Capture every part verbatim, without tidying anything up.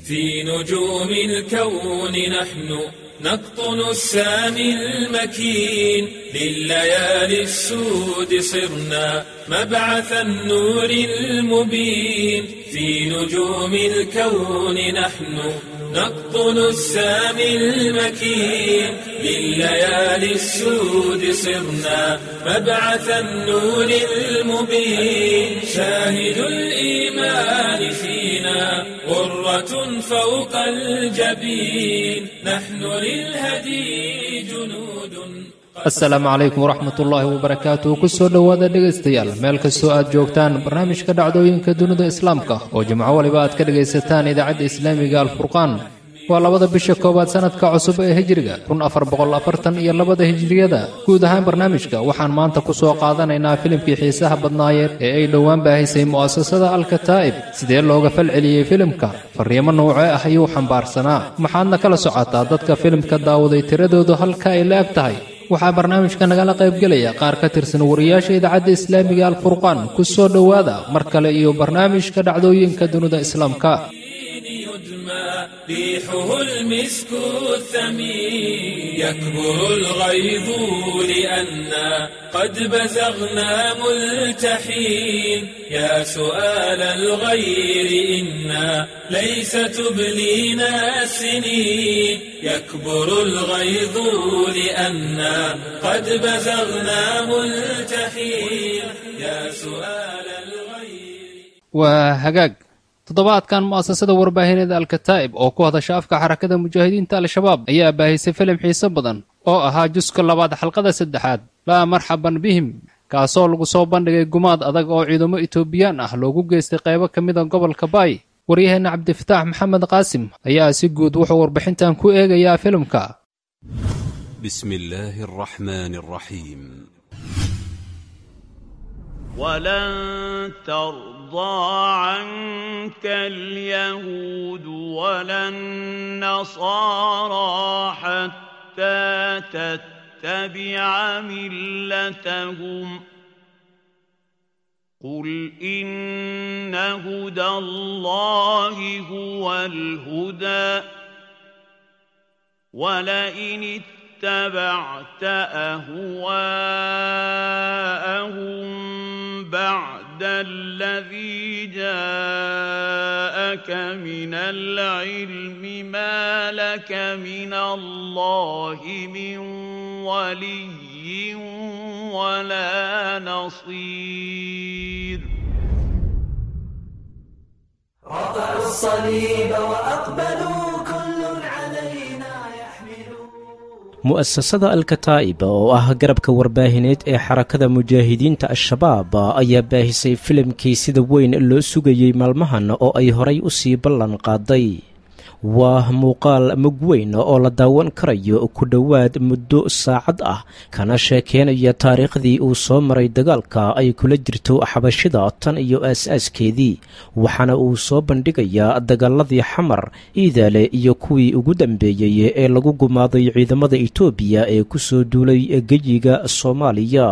في نجوم الكون نحن نقطن السامي المكين، لليالي السود صرنا مبعث النور المبين. في نجوم الكون نحن نقطن السامي المكين، لليالي السود صرنا مبعث النور المبين. شاهد الإيمان فينا غرة فوق الجبين، نحن للهدي جنود. Asalaamu calaykum waraxmatullaahi wabarakaatuh. Kusoo dhowaada dhegaystayaal meel kastoo aad joogtaan barnaamijka dhacdooyinka dunida islaamka oo jimco waliba aad ka dhegaysataan idaacadda islaamiga Alfurqaan. Waa labada bisha koowaad sanadka cusub ee hijriga kun afar boqol afartan iyo labada hijriyada. Guud ahaan barnaamijka waxaan maanta ku soo qaadanaynaa filimkii xiisaha badnaayeed ee ay dhowaan baahisay mu'asasada Alkataa'ib. Sidee looga falceliyey filimka? Fariimo noocee ah ayuu xambaarsanaa? Maxaadna kala socotaa dadka filimka daawaday tiradoodu halka ay la eg tahay? Waxaa barnaamijka nagala qaybgelaya qaar ka tirsan wariyaasha idaacadda islaamiga Alfurqaan. Ku soo dhowaada mar kale iyo barnaamijka dhacdooyinka dunida islaamka. يدمى ريحه المسك الثمين، يكبر الغيظ لأنا قد بزغنا ملتحين. يا سؤال الغير إنا ليس تبلينا السنين، يكبر الغيظ لأنا قد بزغنا ملتحين. يا سؤال الغير. Waa hagaag. Toddobaadkan mu'asasada warbaahineed Alkataa'ib oo ku hadasha afka Xarakada Mujaahidiinta Al-Shabaab ayaa baahisay filim xiiso badan oo ahaa juska labaad xalqada saddexaad, Laa Marxaban Bihim, kaasoo lagu soo bandhigay gumaad adag oo ciidamo Itoobiyaan ah loogu geystay qaybo ka mida gobolka Baay. Waryaheena Cabdifataax Maxamed Qaasim ayaa si guud wuxuu warbixintan ku eegayaa filimka. بسم الله الرحمن الرحيم. ولن ترضى عنك اليهود ولا النصارى حتى تتبع ملتهم، قل إن هدى الله هو الهدى، ولئن اتبعت أهواءهم بعد الذي جاءك من العلم ما لك من الله من ولي ولا نصير. رفعوا الصليب وأقبلوا كل علينا يحملون. Mu'asasada Alkataa'ib oo ah garabka warbaahineed ee Xarakada Mujaahidiinta Al-Shabaab ayaa baahisay filimkii sida weyn loo sugayey maalmahan oo ay horay u sii ballan qaaday. Waa muuqaal mug weyn oo la daawan karayo ku dhowaad muddo saacad ah, kana sheekeynaya taariikhdii uu soo maray dagaalka ay kula jirto xabashida tan iyo aas-aaskeedii. Waxaana uu soo bandhigayaa dagaaladii Xamar, Iidaale iyo kuwii ugu dambeeyey ee lagu gumaaday ciidamada Itoobiya ee ku soo duulay geyiga Soomaaliya.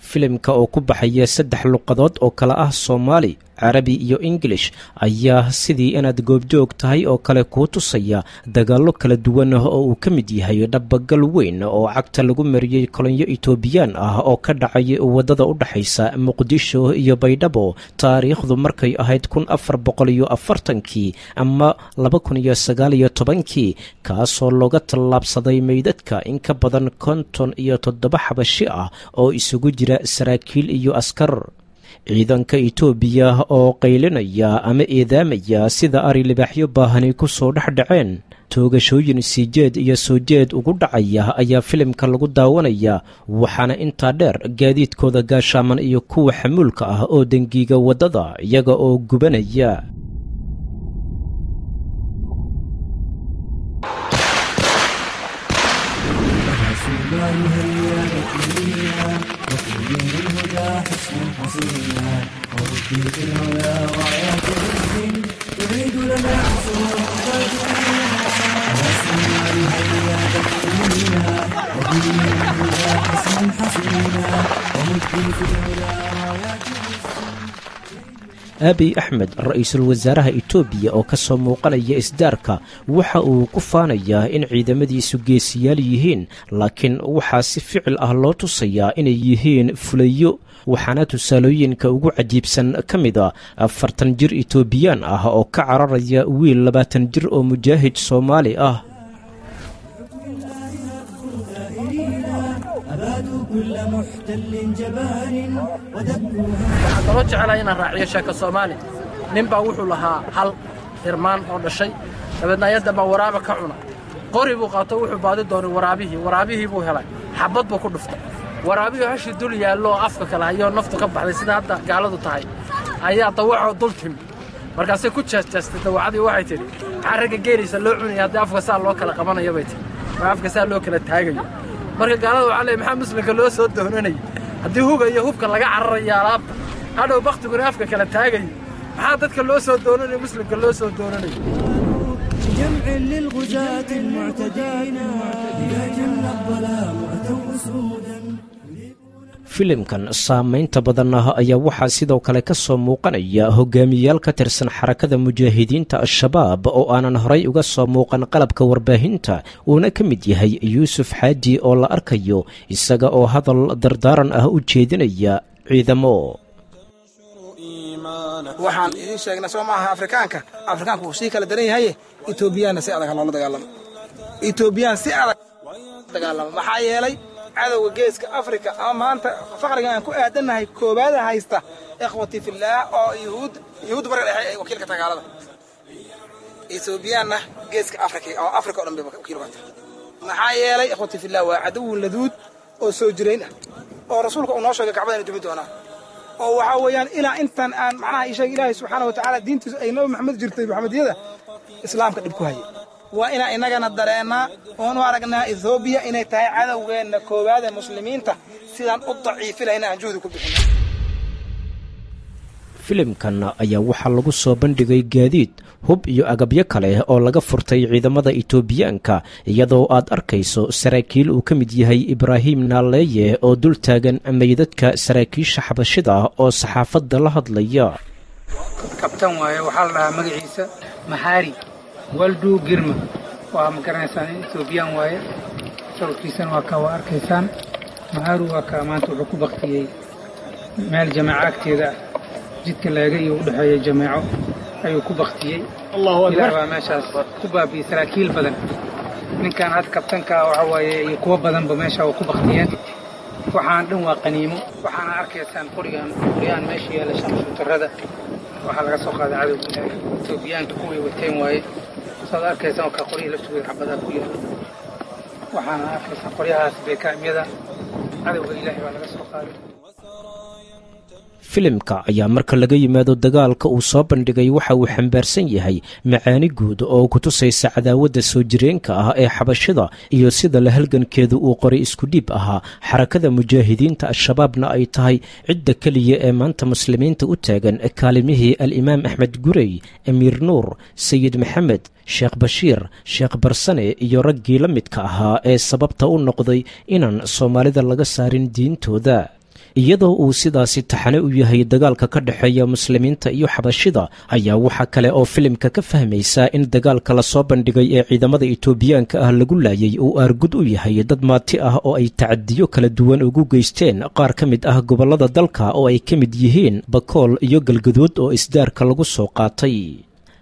Filimka oo ku baxaya saddex luqadood oo kale ah Soomaali, Carabi iyo Ingilish ayaa sidii inaad goobjoog tahay oo kale kuu tusaya dagaallo kala duwan oo uu ka mid yahay dhabagal weyn oo cagta lagu mariyey kolonyo Itoobiyaan ah oo ka dhacay waddada u dhexaysa Muqdisho iyo Baydhabo, taariikhdu markay ahayd kun afar boqol iyo afartankii ama laba kun iyo sagaal iyo tobankii, kaasoo looga tallaabsaday meydadka in ka badan konton iyo toddoba xabashi ah oo isugu jira saraakiil iyo askar. Ciidanka Itoobiya oo qaylinaya ama eedaamaya sida ari libaaxyo baahani ku soo dhex dhaceen, toogashooyin siijeed iyo soo jeed ugu dhacaya ayaa filimka lagu daawanaya. Waxaana intaa dheer gaadiidkooda gaashaaman iyo kuwa xamuulka ah oo dengiiga waddada iyaga oo gubanaya. Abiy Axmed, ra-iisul wasaaraha Itoobiya oo ka soo muuqanaya isdaarka, waxa uu ku faanayaa in ciidamadiisu geesiyaal yihiin, laakiin waxaa si ficil ah loo tusayaa inay yihiin fulayo. Waxaana tusaalooyinka ugu cajiibsan ka mid a afartan jir Itoobiyaan ah oo ka cararaya wiil labaatan jir oo mujaahid Soomaali ah. Waxaan kaloo jecelahay inaan raaciyo sheeko Soomaali. Nin baa wuxuu lahaa hal hirmaan oo dhashay, dabeedna ayadda baa waraaba ka cuna. Qori buu qaato, wuxuu baadi doonay waraabihii. Waraabihii buu helay, xabbad buu ku dhuftay. Waraabihii hashii dul yaallo oo afka kale hayoo naftu ka baxday, sida hadda gaaladu tahay, ayaa dawacoo dul timi. Markaasay ku jeesjeestay dawacadii, waxay tidhi: "Maxaa ragga geelaysa loo cunaya haddii afka saa loo kala qabanayo?" bay tihi, ma afka saa loo kala taagayo. Marka gaalada waxaa leey, maxaa muslimka loo soo doonanayay haddii huga iyo hubka laga cararayo alaabta, hadhow bakhtiguna afka kala taagayo? Maxaa dadka loo soo doonanayo, muslimka loo soo doonanayo? جمع للغزاة المعتدين إذا جن الظلام أتوا أسودا. Filimkan saamaynta badan ah ayaa waxaa sidoo kale ka soo muuqanaya hogaamiyayaal ka tirsan Xarakada Mujaahidiinta Al-Shabaab oo aanan horay uga soo muuqan qalabka warbaahinta, uuna ka mid yahay Yuusuf Xaaji oo la arkayo isaga oo hadal dardaaran ah u jeedinaya ciidamo. Waxaan idiin sheegnay soo maaha? Afrikaanka, Afrikaanku wuu sii kala daran yahaye, Etoobiyaanna si adag ha loola dagaalamo. Etoobiyaan si adag dagaalamo, maxaa yeelay cadowga Geeska Afrika ama maanta faqriga aan ku aadannahay koowaada haysta, ikhwati fillaah, oo yuhuud, yuhuud Bariga Dhexe ay wakiilka tagaalada, Etoobiyaanna Geeska Afrika oo Afrika o dhan bay wakiil uga tahay. Maxaa yeelay, ikhwati fillaah, waa cadowun laduud oo soo jirayn ah oo rasuulka uu noo sheegay Kacbada inay dumi doonaan, oo waxaa weeyaan ilaa intan aan macnaha ii sheeg Ilaahay subxaana wa tacaala diintiisu ay Nabi Maxamed jirtay, Maxamediyada Islaamka dhib ku hayay. Waa inaan innagana dareennaa oon u aragnaa Ethoobiya inay tahay cadowgeenna koowaad ee muslimiinta, sidaan u daciifinayna aan juhdi ku bixino. Filimkan ayaa waxaa lagu soo bandhigay gaadiid, hub iyo agabyo kale oo laga furtay ciidamada Itoobiyaanka, iyadoo aad arkayso saraakiil uu ka mid yahay Ibraahim Naaleeye oo dul taagan meydadka saraakiisha xabashida oo saxaafadda la hadlaya. Kabtan waaye, waxaa la dhahaa magaciisa Maxaari Waldu Girma. Waa ma garanaysaan, Etoobiyaan waaye. Sawirkiisana waa kaa, waa arkaysaan. Maxaaru waa kaa. Maanta wuxuu ku baktiyey meel jameeco agteeda ah, jidka leega iyo u dhexeeya jameeco ayuu ku baktiyey. Ilaah baa meeshaas ku baabiyey saraakiil badan. Ninkan hadda kabtanka waxa waaye iyo kuwo badanba meesha waa ku baktiyeen. Waxaan dhan waa qaniimo. Waxaana arkaysaan qorigan, qoryahan meesha yaalla, shamshuutarada, waxaa laga soo qaaday cadowga Ilaahay, Etoobiyaanka kuway wateen waaye. Saad arkaysaan waa kaa, qoryihii laftooda xabadaa ku yaala. Waxaana arkaysaan qoryahaas beekaamyada cadowga Ilaahay baa laga soo qaaday. Filimka ayaa marka laga yimaado dagaalka uu soo bandhigay, waxa uu xambaarsan yahay macaani guud oo ku tusaysa cadaawadda soo jireenka ah ee xabashida iyo sida la halgankeedu uu qoray isku dhiib ahaa, Xarakada Mujaahidiinta Al-Shabaabna ay tahay cidda keliya ee maanta muslimiinta u taagan kaalimihii Alimaam Axmed Gurey, Amiir Nuur, Sayid Maxamed, Sheekh Bashiir, Sheekh Barsane iyo raggii la midka ahaa ee sababta u noqday inaan Soomaalida laga saarin diintooda. Iyadoo uu sidaasi taxane u yahay dagaalka ka dhexeeya muslimiinta iyo xabashida, ayaa waxaa kale oo filimka ka fahmaysaa in dagaalka lasoo bandhigay ee ciidamada Itoobiyaanka ah lagu laayay uu aargud u yahay dad maati ah oo ay tacadiyo kala duwan ugu geysteen qaar ka mid ah gobollada dalka, oo ay ka mid yihiin Bakool iyo Galgaduud oo isdaarka lagu soo qaatay.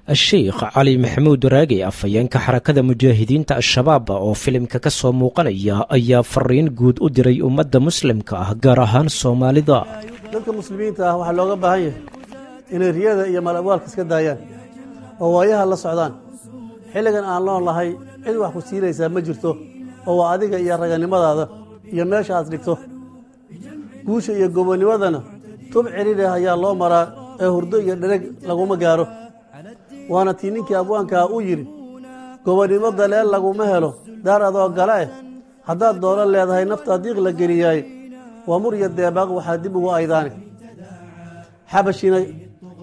Sheikh Cali Maxamuud Raage, afhayeenka Xarakada Mujaahidiinta Al-Shabaab oo filimka ka soo muuqanaya, ayaa fariin guud u diray ummadda muslimka ah, gaar ahaan Soomaalida. Dadka muslimiinta ah waxaa looga baahan yahay inay riyada iyo malabwaalka iska daayaan oo waayaha la socdaan. Xilligan aan loon lahay cid wax ku siinaysaa ma jirto, oo waa adiga iyo raganimadaada iyo meesha aad dhigto. Guusha iyo gobonimadana tub cidhidheh ayaa loo maraa ee hurdo iyo dhereg laguma gaaro. Waana tii ninkii abwaankaa uu yidhi: "Gobonnimo daleel laguma helo daar adoo gala eh, haddaad doono leedahay naftaa diiq la geliyaay, waa mur iyo deebaaq waxaa dib ugu aydaane." Xabashina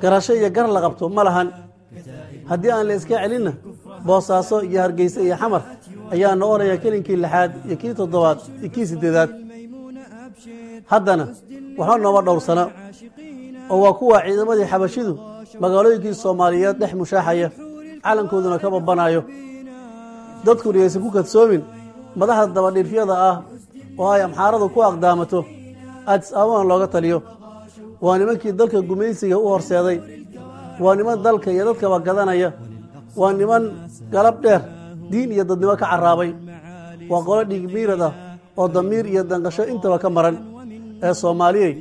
garasho iyo gar la qabto ma lahan. Haddii aan la iska celinna, Boosaaso iyo Hargeysa iyo Xamar ayaa noqonaya kelinkii lixaad iyo kii toddobaad iyo kii siddeedaad. Haddana waxba nooma dhowrsana Oo waa kuwa ciidamadii xabashidu magaalooyinkii Soomaaliyeed dhex mushaaxaya, calankooduna ka babanayo. Dadkuna yaysan ku kadsoomin madaxda dabadhiirfyada ah oo ay Amxaaradu ku aqdaamato, Addis Ababana looga taliyo. Waa nimankii dalka gumaysiga u horseeday, waa niman dalka iyo dadkaba gadanaya, waa niman galab dheer diin iyo dadnimo ka carraabay, waa qolo dhiig miirad ah oo damiir iyo danqasho intaba ka maran. Ee Soomaaliyey,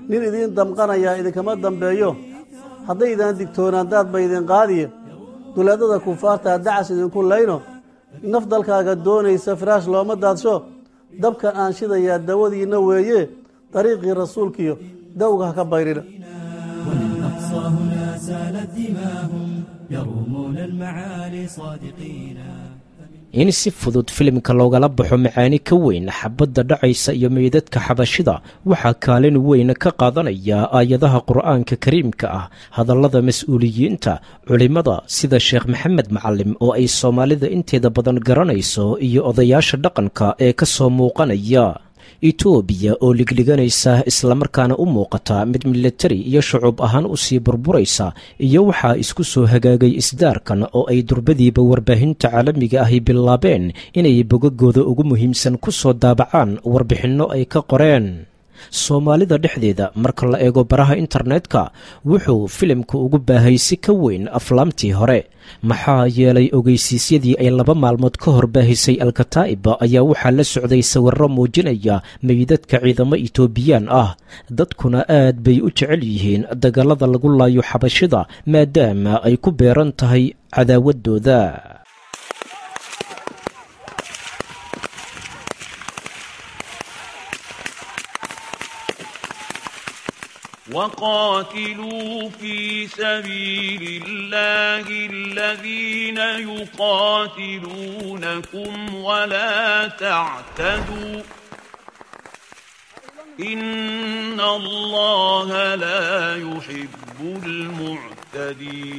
nin idiin damqanayaa idinkama dambeeyo. Haddaydaan digtoonaan, daad ba idin qaadiye. Duleedada kufaartaa dacas idinku layno. Naf dalkaaga doonaysa firaash looma daadsho. Dabkan aan shidayaa dawadiinna weeye, dariiqii rasuulkiyo dawga ha ka bayrina. وللأقصى هنا سالت دماهم يرومون المعالي صادقين. In si fudud filimka loogala baxo macaani ka weyn xabadda dhacaysa iyo meydadka xabashida waxaa kaalin weyn ka qaadanaya aayadaha Qur'aanka kariimka ah, hadallada mas-uuliyiinta, culimmada sida Sheekh Maxamed Macalim oo ay Soomaalida inteeda badan garanayso, iyo odayaasha dhaqanka ee ka soo muuqanaya. Itoobiya oo ligliganaysa islamarkaana u muuqata mid milatari iyo shucuub ahaan usii burburaysa, iyo waxaa isku soo hagaagay isdaarkan oo ay durbadiiba warbaahinta caalamiga ahi bilaabeen inay bogagooda ugu muhiimsan ku soo daabacaan warbixinno ay ka qoreen. Soomaalida dhexdeeda marka la eego baraha internetka, wuxuu filimku ugu baahay si ka weyn aflaamtii hore, maxaa yeelay ogeysiisyadii ay laba maalmood ka hor baahisay Alkataa'iba ayaa waxaa la socday sawirro muujinaya meydadka ciidamo Itoobiyaan ah. Dadkuna aad bay u jecel yihiin dagallada lagu laayo xabashida, maadaama ay ku beeran tahay cadaawaddooda. وقاتلوا في سبيل الله الذين يقاتلونكم ولا تعتدوا إن الله لا يحب المعتدين.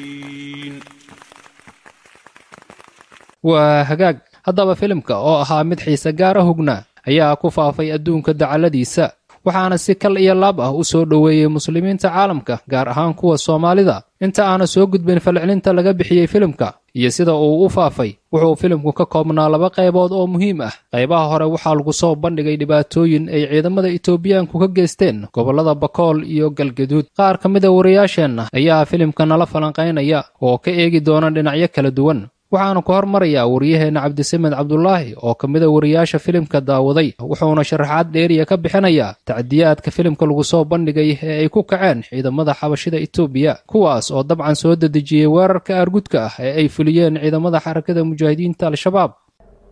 Waa hagaag. Haddaba filimka oo ahaa mid xiise gaara hugna ayaa ku faafay adduunka dacalladiisa, waxaana si kal iyo laab ah u soo dhoweeyey muslimiinta caalamka, gaar ahaan kuwa Soomaalida. Inta aana soo gudbin falcelinta laga bixiyey filimka iyo sida uu u faafay, wuxuu filimku ka koobnaa laba qaybood oo muhiim ah. Qaybaha hore waxaa lagu soo bandhigay dhibaatooyin ay ciidamada Itoobiyaanku ka geysteen gobollada Bakool iyo Galgaduud. Qaar ka mida wariyaasheenna ayaa filimka nala falanqaynaya oo ka eegi doona dhinacyo kala duwan. Waxaanu ku hormarayaa wariyaheenna Cabdisamed Cabdulaahi oo ka mida wariyaasha filimka daawaday, wuxuuna sharaxaad dheeriya ka bixinayaa tacdiyaadka filimka lagu soo bandhigay ee ay ku kaceen ciidamada xabashida Itoobiya, kuwaas oo dabcan soo dedejiyey weerarka aargudka ah ee ay fuliyeen ciidamada Xarakada Mujaahidiinta Al-Shabaab.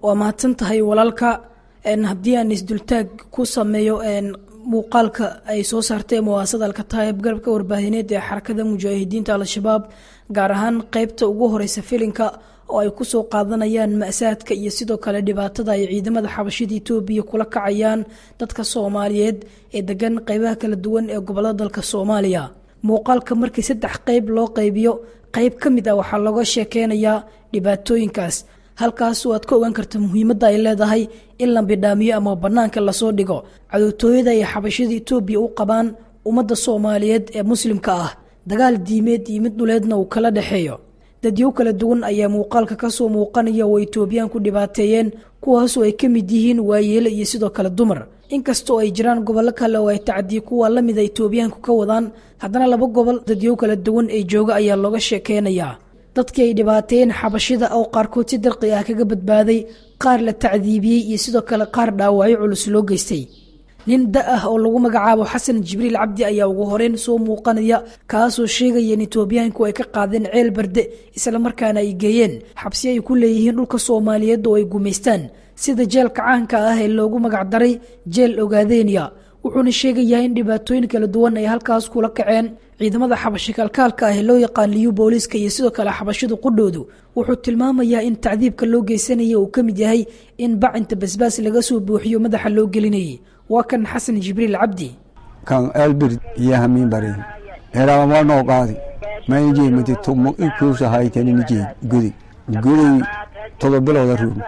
Waa mahadsan tahay walaalka. Haddii aan isdultaag ku sameeyo muuqaalka ay soo saartay muwaasada Alkataayib, garabka warbaahineed ee Xarakada Mujaahidiinta Al-Shabaab, gaar ahaan qeybta ugu horeysa filinka oo ay kusoo qaadanayaan ma'saadka iyo sidoo kale dhibaatada ay ciidamada xabashida Itoobiya kula kacayaan dadka Soomaaliyeed ee degan qeybaha kala duwan ee gobolada dalka Soomaaliya. Muuqaalka markii saddex qeyb loo qaybiyo, qeyb ka mid ah waxaa looga sheekeynayaa dhibaatooyinkaas, halkaas oo aad ka ogaan karta muhiimadda ay leedahay in la bidhaamiyo ama bannaanka lasoo dhigo cadowtooyada ay xabashida Itoobiya u qabaan ummadda Soomaaliyeed ee muslimka ah, dagaal diimeed iyo mid dhuleedna uu kala dhexeeyo. Dadyo kala duwan ayaa muuqaalka kasoo muuqanaya oo Itoobiyaanku dhibaateeyeen, kuwaasoo ay ka mid yihiin waayeele iyo sidoo kale dumar. Inkastoo ay jiraan gobollo kale oo ay tacdiye kuwa la mida Itoobiyaanku ka wadaan, haddana laba gobol dadyo kala duwan ee jooga ayaa looga sheekeynayaa. Dadkii ay dhibaateeyeen xabashida oo qaarkood si dirqi ah kaga badbaaday, qaar la tacdiibiyey iyo sidoo kale qaar dhaawacyo culus loo geystay. Nin da ah oo lagu magacaabo Xasan Jibriil Cabdi ayaa ugu horeyn soo muuqanaya, kaasoo sheegaya in Itoobiyaanku ay ka qaadeen Ceel Barde islamarkaana ay geeyeen xabsi ay ku leeyihiin dhulka Soomaaliyeed oo ay gumaystaan, sida jeelka caanka ah ee loogu magacdaray Jeel Ogaadenia. Wuxuuna sheegayaa in dhibaatooyin kala duwan ay halkaas kula kaceen ciidamada xabashi kalkaalka ah ee loo yaqaan Liyu booliiska iyo sidoo kale xabashidu qudhoodu. Wuxuu tilmaamayaa in tacdiibka loo geysanaya uu ka mid yahay in bacinta basbaas laga soo buuxiyo madaxa loo gelinayay. Waa kan Xasan Jibriil Cabdi. Kan Elbir iyo hamiin bari heraama noo qaadi mayjee mati tumo ikuusa haytani nijee gudi gudi todoba bilooda ruum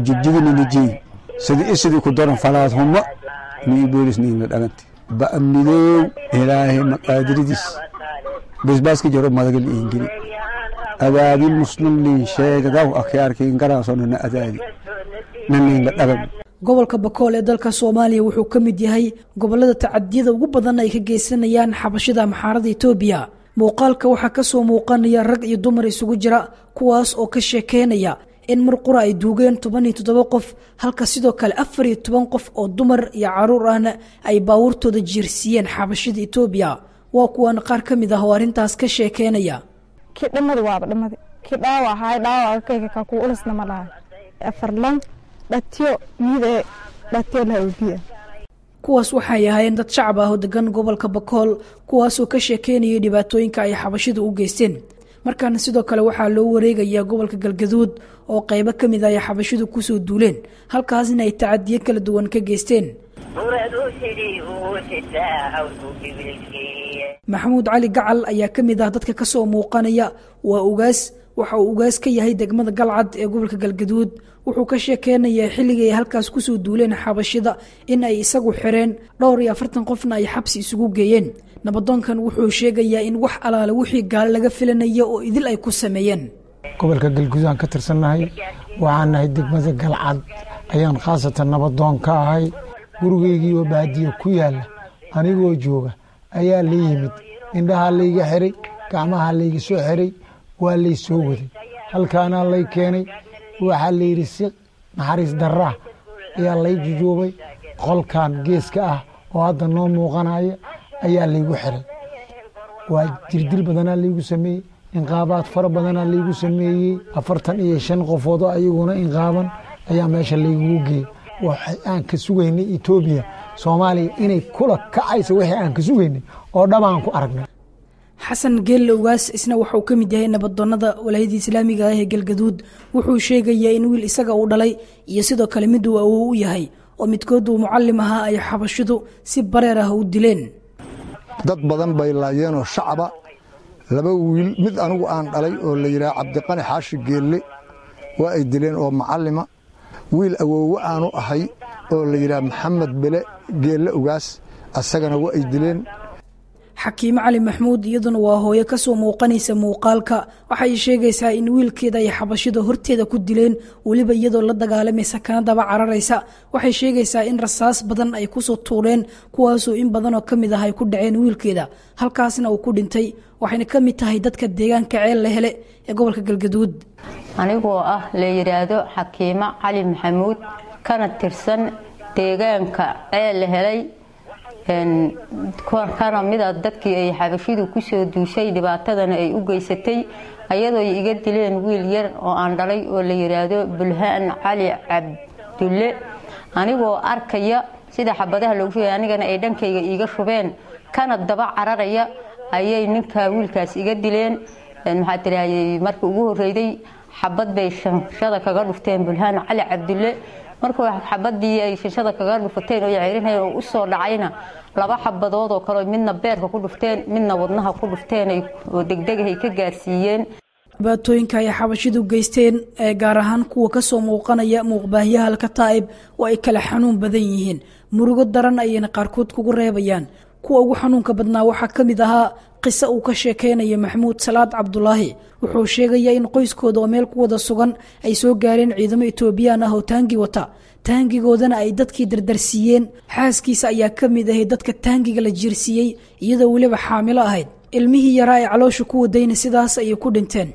jigjigini nijee sidi isidii ku daran falaad huma nii boolis niina dhagante Ba'midoow ilaahay maqaadiridiis basbaaska jaro madagal iingeli adaadi muslim liin sheegadaw akhyaarkiin garaasonana adaadi naniinla dhagam. Gobolka Bakool ee dalka Soomaaliya wuxuu ka mid yahay gobolada tacadiyada ugu badan ay ka geysanayaan xabashida amxaarada Itoobiya. Muuqaalka waxaa ka soo muuqanaya rag iyo dumar isugu jira, kuwaas oo ka sheekeynaya in mar qura ay duugeen toban iyo toddoba qof, halka sidoo kale afar iyo toban qof oo dumar iyo caruur ahna ay baabuurtooda jiirsiiyeen xabashida Itoobiya. Waa kuwan qaar ka mid ah oo arrintaas ka sheekeynaya. Kii dhamadi waaba dhamadi, kii dhaawac ahaay dhaawaca kayga ka kuu ulisna ma laha afar lan dhatiyo miide dhatiyo laha obiya. Kuwaas waxay ahaayeen dad shacab ah oo degan gobolka Bakool, kuwaasoo ka sheekeynayay dhibaatooyinka ay xabashidu u geysteen. Markaana sidoo kale waxaa loo wareegayaa gobolka Galgaduud oo qaybo ka mid ah ay xabashidu kusoo duuleen, halkaasna ay tacadiyo kala duwan ka geysteen. Maxamuud Cali Gacal ayaa ka mid ah dadka kasoo muuqanaya. Waa ugaas, waxa uu ugaas ka yahay degmada Galcad ee gobolka Galgaduud. Wuxuu ka sheekeynayaa xilligii ay halkaas kusoo duuleen xabashida in ay isagu xireen dhowr iyo afartan qofna ay xabsi isugu geeyeen. Nabadoonkan wuxuu sheegayaa in wax alaale wixii gaale laga filanaya oo idil ay ku sameeyeen. Gobolka Galguduud aan ka tirsannahay, waxaan nahay degmada Galcad ayaan khaasatan nabadoon ka ahay. Gurigeygii oo baadiyo ku yaala anigoo jooga ayaa la yimid, indhahaa layga xiray, gacmaha layga soo xiray, waa lay soo waday, halkaanaa lay keenay. Waxaa la yidhi si naxariis darraa ayaa lay jujuubay, qolkan geeska ah oo hadda noo muuqanaya ayaa laygu xiray. Waa jirdil badanaa laygu sameeyey, inqaabaad fara badanaa laygu sameeyey. Afartan iyo shan qofood oo ayaguna inqaaban ayaa meesha laygugu geeyey. Waxa aan ka sugaynay Etoobiya Soomaaliya inay kula kacayso, wixii aan ka sugaynay oo dhabaan ku aragnay. Xasan Geelle Ugaas isna wuxuu ka mid yahay nabadoonnada walaayada islaamiga ah ee Galgaduud. Wuxuu sheegayaa in wiil isaga uu dhalay iyo sidoo kale mid uu awow u yahay oo midkood uu mucallim ahaa ay xabashidu si bareer ah u dileen. Dad badan bay laayeenoo shacaba. Laba wiil, mid anigu aan dhalay oo la yidhaha Cabdiqani Xaashi Geelle, waa ay dileen oo mucallima. Wiil awoowe aanu ahay oo la yidhaha Maxamed Bele Geelle Ugaas, asagana waa ay dileen. Xakiime Cali Maxmuud iyaduna waa hooyo kasoo muuqanaysa muuqaalka. Waxay sheegaysaa in wiilkeeda ay xabashida horteeda ku dileen, weliba iyadoo la dagaalamaysa kana daba cararaysa. Waxay sheegaysaa in rasaas badan ay kusoo tuureen, kuwaasoo in badanoo ka mid ah ay ku dhaceen wiilkeeda, halkaasna uu ku dhintay. Waxayna ka mid tahay dadka deegaanka Ceel la Hele ee gobolka Galgaduud. Anigoo ah la yidhaahdo Xakiime Cali Maxamuud, kana tirsan deegaanka Ceel la Helay, kana mida dadkii ay xabashidu kusoo duushay dhibaatadana ay u geysatay, ayadoo iga dileen wiil yar oo aan dhalay oo la yidhaahdo Bulhaan Cali Cabdulle. Anigoo arkaya sida xabadaha loogu shubay, anigana ay dhankayga iiga shubeen kana daba cararaya, ayay ninkaa wiilkaas iga dileen. Maxaa tiraahday, markii ugu horreyday xabad bay shanshada kaga dhufteen Bulhaan Cali Cabdulle. Markuu xabadii ay shanshada kaga dhufateen oo ceyrinayeen oo u soo dhacayna, laba xabadood oo kale midna beerka ku dhufteen, midna wadnaha ku dhufteen oo degdeg ay ka gaarsiiyeen. Dhibaatooyinka ay xabashidu geysteen ee gaar ahaan kuwa kasoo muuqanaya muuqbaahyaha Alkataa'ib oo ay kala xanuun badan yihiin, murugo daran ayayna qaarkood kugu reebayaan. Kuwa ugu xanuunka badnaa waxaa ka mid ahaa qiso uu ka sheekeynaya Maxamuud Salaad Cabdulaahi. Wuxuu sheegayaa in qoyskooda oo meel ku wada sugan ay soo gaareen ciidamo Etoobiyaan ah oo taangi wata, taangigoodana ay dadkii dardarsiiyeen. Xaaskiisa ayaa ka mid ahayd dadka taangiga la jiirsiiyey, iyadoo weliba xaamilo ahayd. Ilmihii yaraa ee caloosha ku wadayna sidaas ayay ku dhinteen.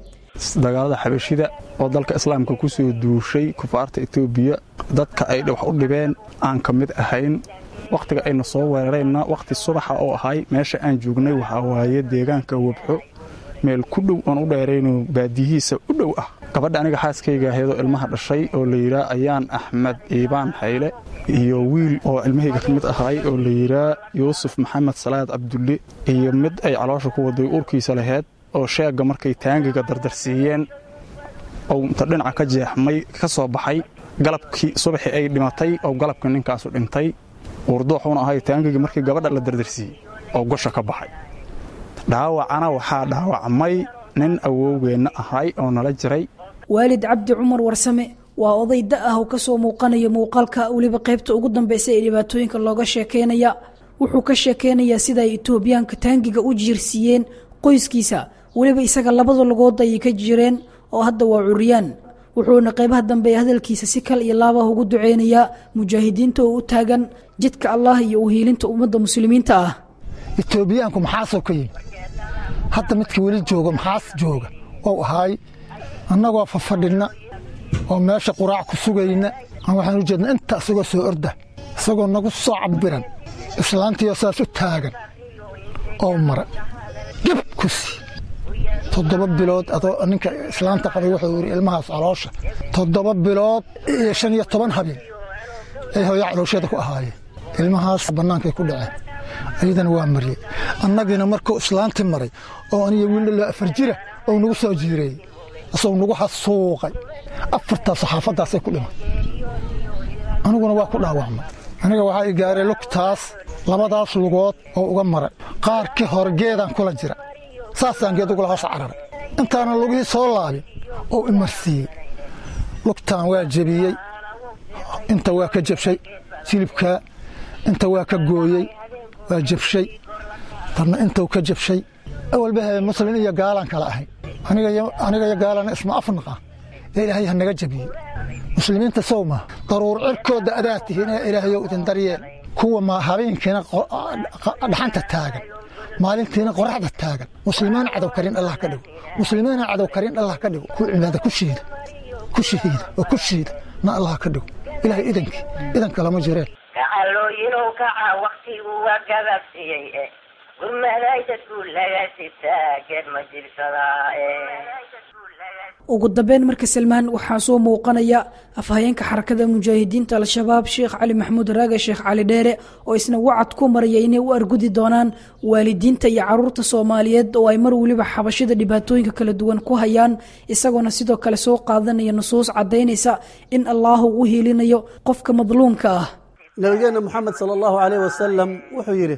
Dagaalada xabashida oo dalka islaamka ku soo duushay, kufaarta Etoobiya, dadka ay wax u dhibeen aan ka mid ahayn. Wakhtiga ayna soo weerareenna wakhti subaxa oo ahay. Meesha aan joognay waxaa waaye deegaanka Wabxo, meel ku dhow oon u dheerayno baadiyihiisa u dhow ah. Gabadha aniga xaaskayga ahaydoo ilmaha dhashay oo la yidhaa Ayaan Axmed Iibaan Xayle, iyo wiil oo ilmahayga ka mid ahay oo la yidhaa Yuusuf Maxamed Salaad Cabdulle, iyo mid ay caloosha ku waday uurkiisa laheyd oo sheegga markay taangiga dardarsiiyeen oo inta dhinaca ka jeexmay ka soo baxay. Galabkii subaxii ay dhimatay oo galabkii ninkaasu dhintay, uurdooxuuna ahay taangigii markii gabadha la dardarsiiyey oo gosha ka baxay. Dhaawacana waxaa dhaawacmay nin awowgeenna ahay oo nala jiray. Waalid Cabdi Cumar Warsame waa oday da ah oo kasoo muuqanaya muuqaalka, weliba qaybta ugu dambaysa ee dhibaatooyinka looga sheekeynaya. Wuxuu ka sheekeynayaa sida ay Itoobiyaanka taangiga u jiirsiiyeen qoyskiisa, weliba isaga labada lugood ayay ka jireen oo hadda waa curiyaan. Wuxuuna qaybaha dambe ee hadalkiisa si kal iyo laab ah ugu duceynayaa mujaahidiinta oo u taagan jidka Allah iyo u hiilinta ummadda muslimiinta ah. Itoobiyaanku maxaasoo ka yimi hadda midka weli jooga maxaas jooga ou ahaay, annagoo fafadhinna oo meesha quraac ku sugayna aan waxaan u jeedna inta isagoo soo orda, isagoo nagu soo cabbiran, islaantiioo saas u taagan oo mara geb ku sii toddoba bilood. Adoo ninka islaanta qabay wuxuu yidhi ilmahaas caloosha toddoba bilood iyo shan iyo toban habeen ay hooyo caloosheeda ku ahaayeen. Ilmahaas bannaankay ku dhaceen, ayadana waa mariyey. Annagiina markuu islaanti maray oo aniga wiil loo afar jira oo nagu soo jiireeyey, isagoo nagu xasuuqay afartaas saxaafaddaasay ku dhimay, aniguna waa ku dhaawacmay. Aniga waxaa i gaaray lugtaas, labadaas lugood oo uga maray qaarkii hore geedaan kula jira, saasaan geed ugula hoos cararay intaanan lugihii soo laabin oo imarsiiyey. Lugtaan waa jebiyey, inta waa ka jabshay jilibkaa, inta waa ka gooyey, waa jabshay tanna intuu ka jabshay. Awalbahe muslin iyo gaalaan kala ahay, aniga iyo gaalana isma afnaqa ee Ilaahay ha naga jabiyey muslimiinta. Sow maa daruur cirkooda adaa tihiin ee Ilaahayow idin daryeel kuwa ma habeenkiina dhaxanta taagan, maalintiina qoraxda taagan. Muslimiin cadow karin Allah ka dhigo, muslimiina cadow karin Allah ka dhigo, ku cibaada ku shiida, ku shahiida oo ku shiida na Allah ka dhigo. Ilaahay idankii idanka lama jireen. Kacalooyinow kaca, waktigu waa gababsiyey e gurmaday dadku laga sitaa geed ma jibsadaa. Ugu dambeyn marka Salmaan waxaa soo muuqanaya afhayeenka xarakada mujaahidiinta Al-Shabaab Sheekh Cali Maxamuud Raaga, Sheekh Cali Dheere, oo isna wacad ku maraya inay u argudi doonaan waalidiinta iyo caruurta Soomaaliyeed oo ay mar weliba xabashida dhibaatooyinka kala duwan ku hayaan, isagoona sidoo kale soo qaadanaya nusuus caddaynaysa in Allahu u hiilinayo qofka madluumka ah. Nabigeena Moxamed sala allahu calayh wasalam wuxuu yidhi: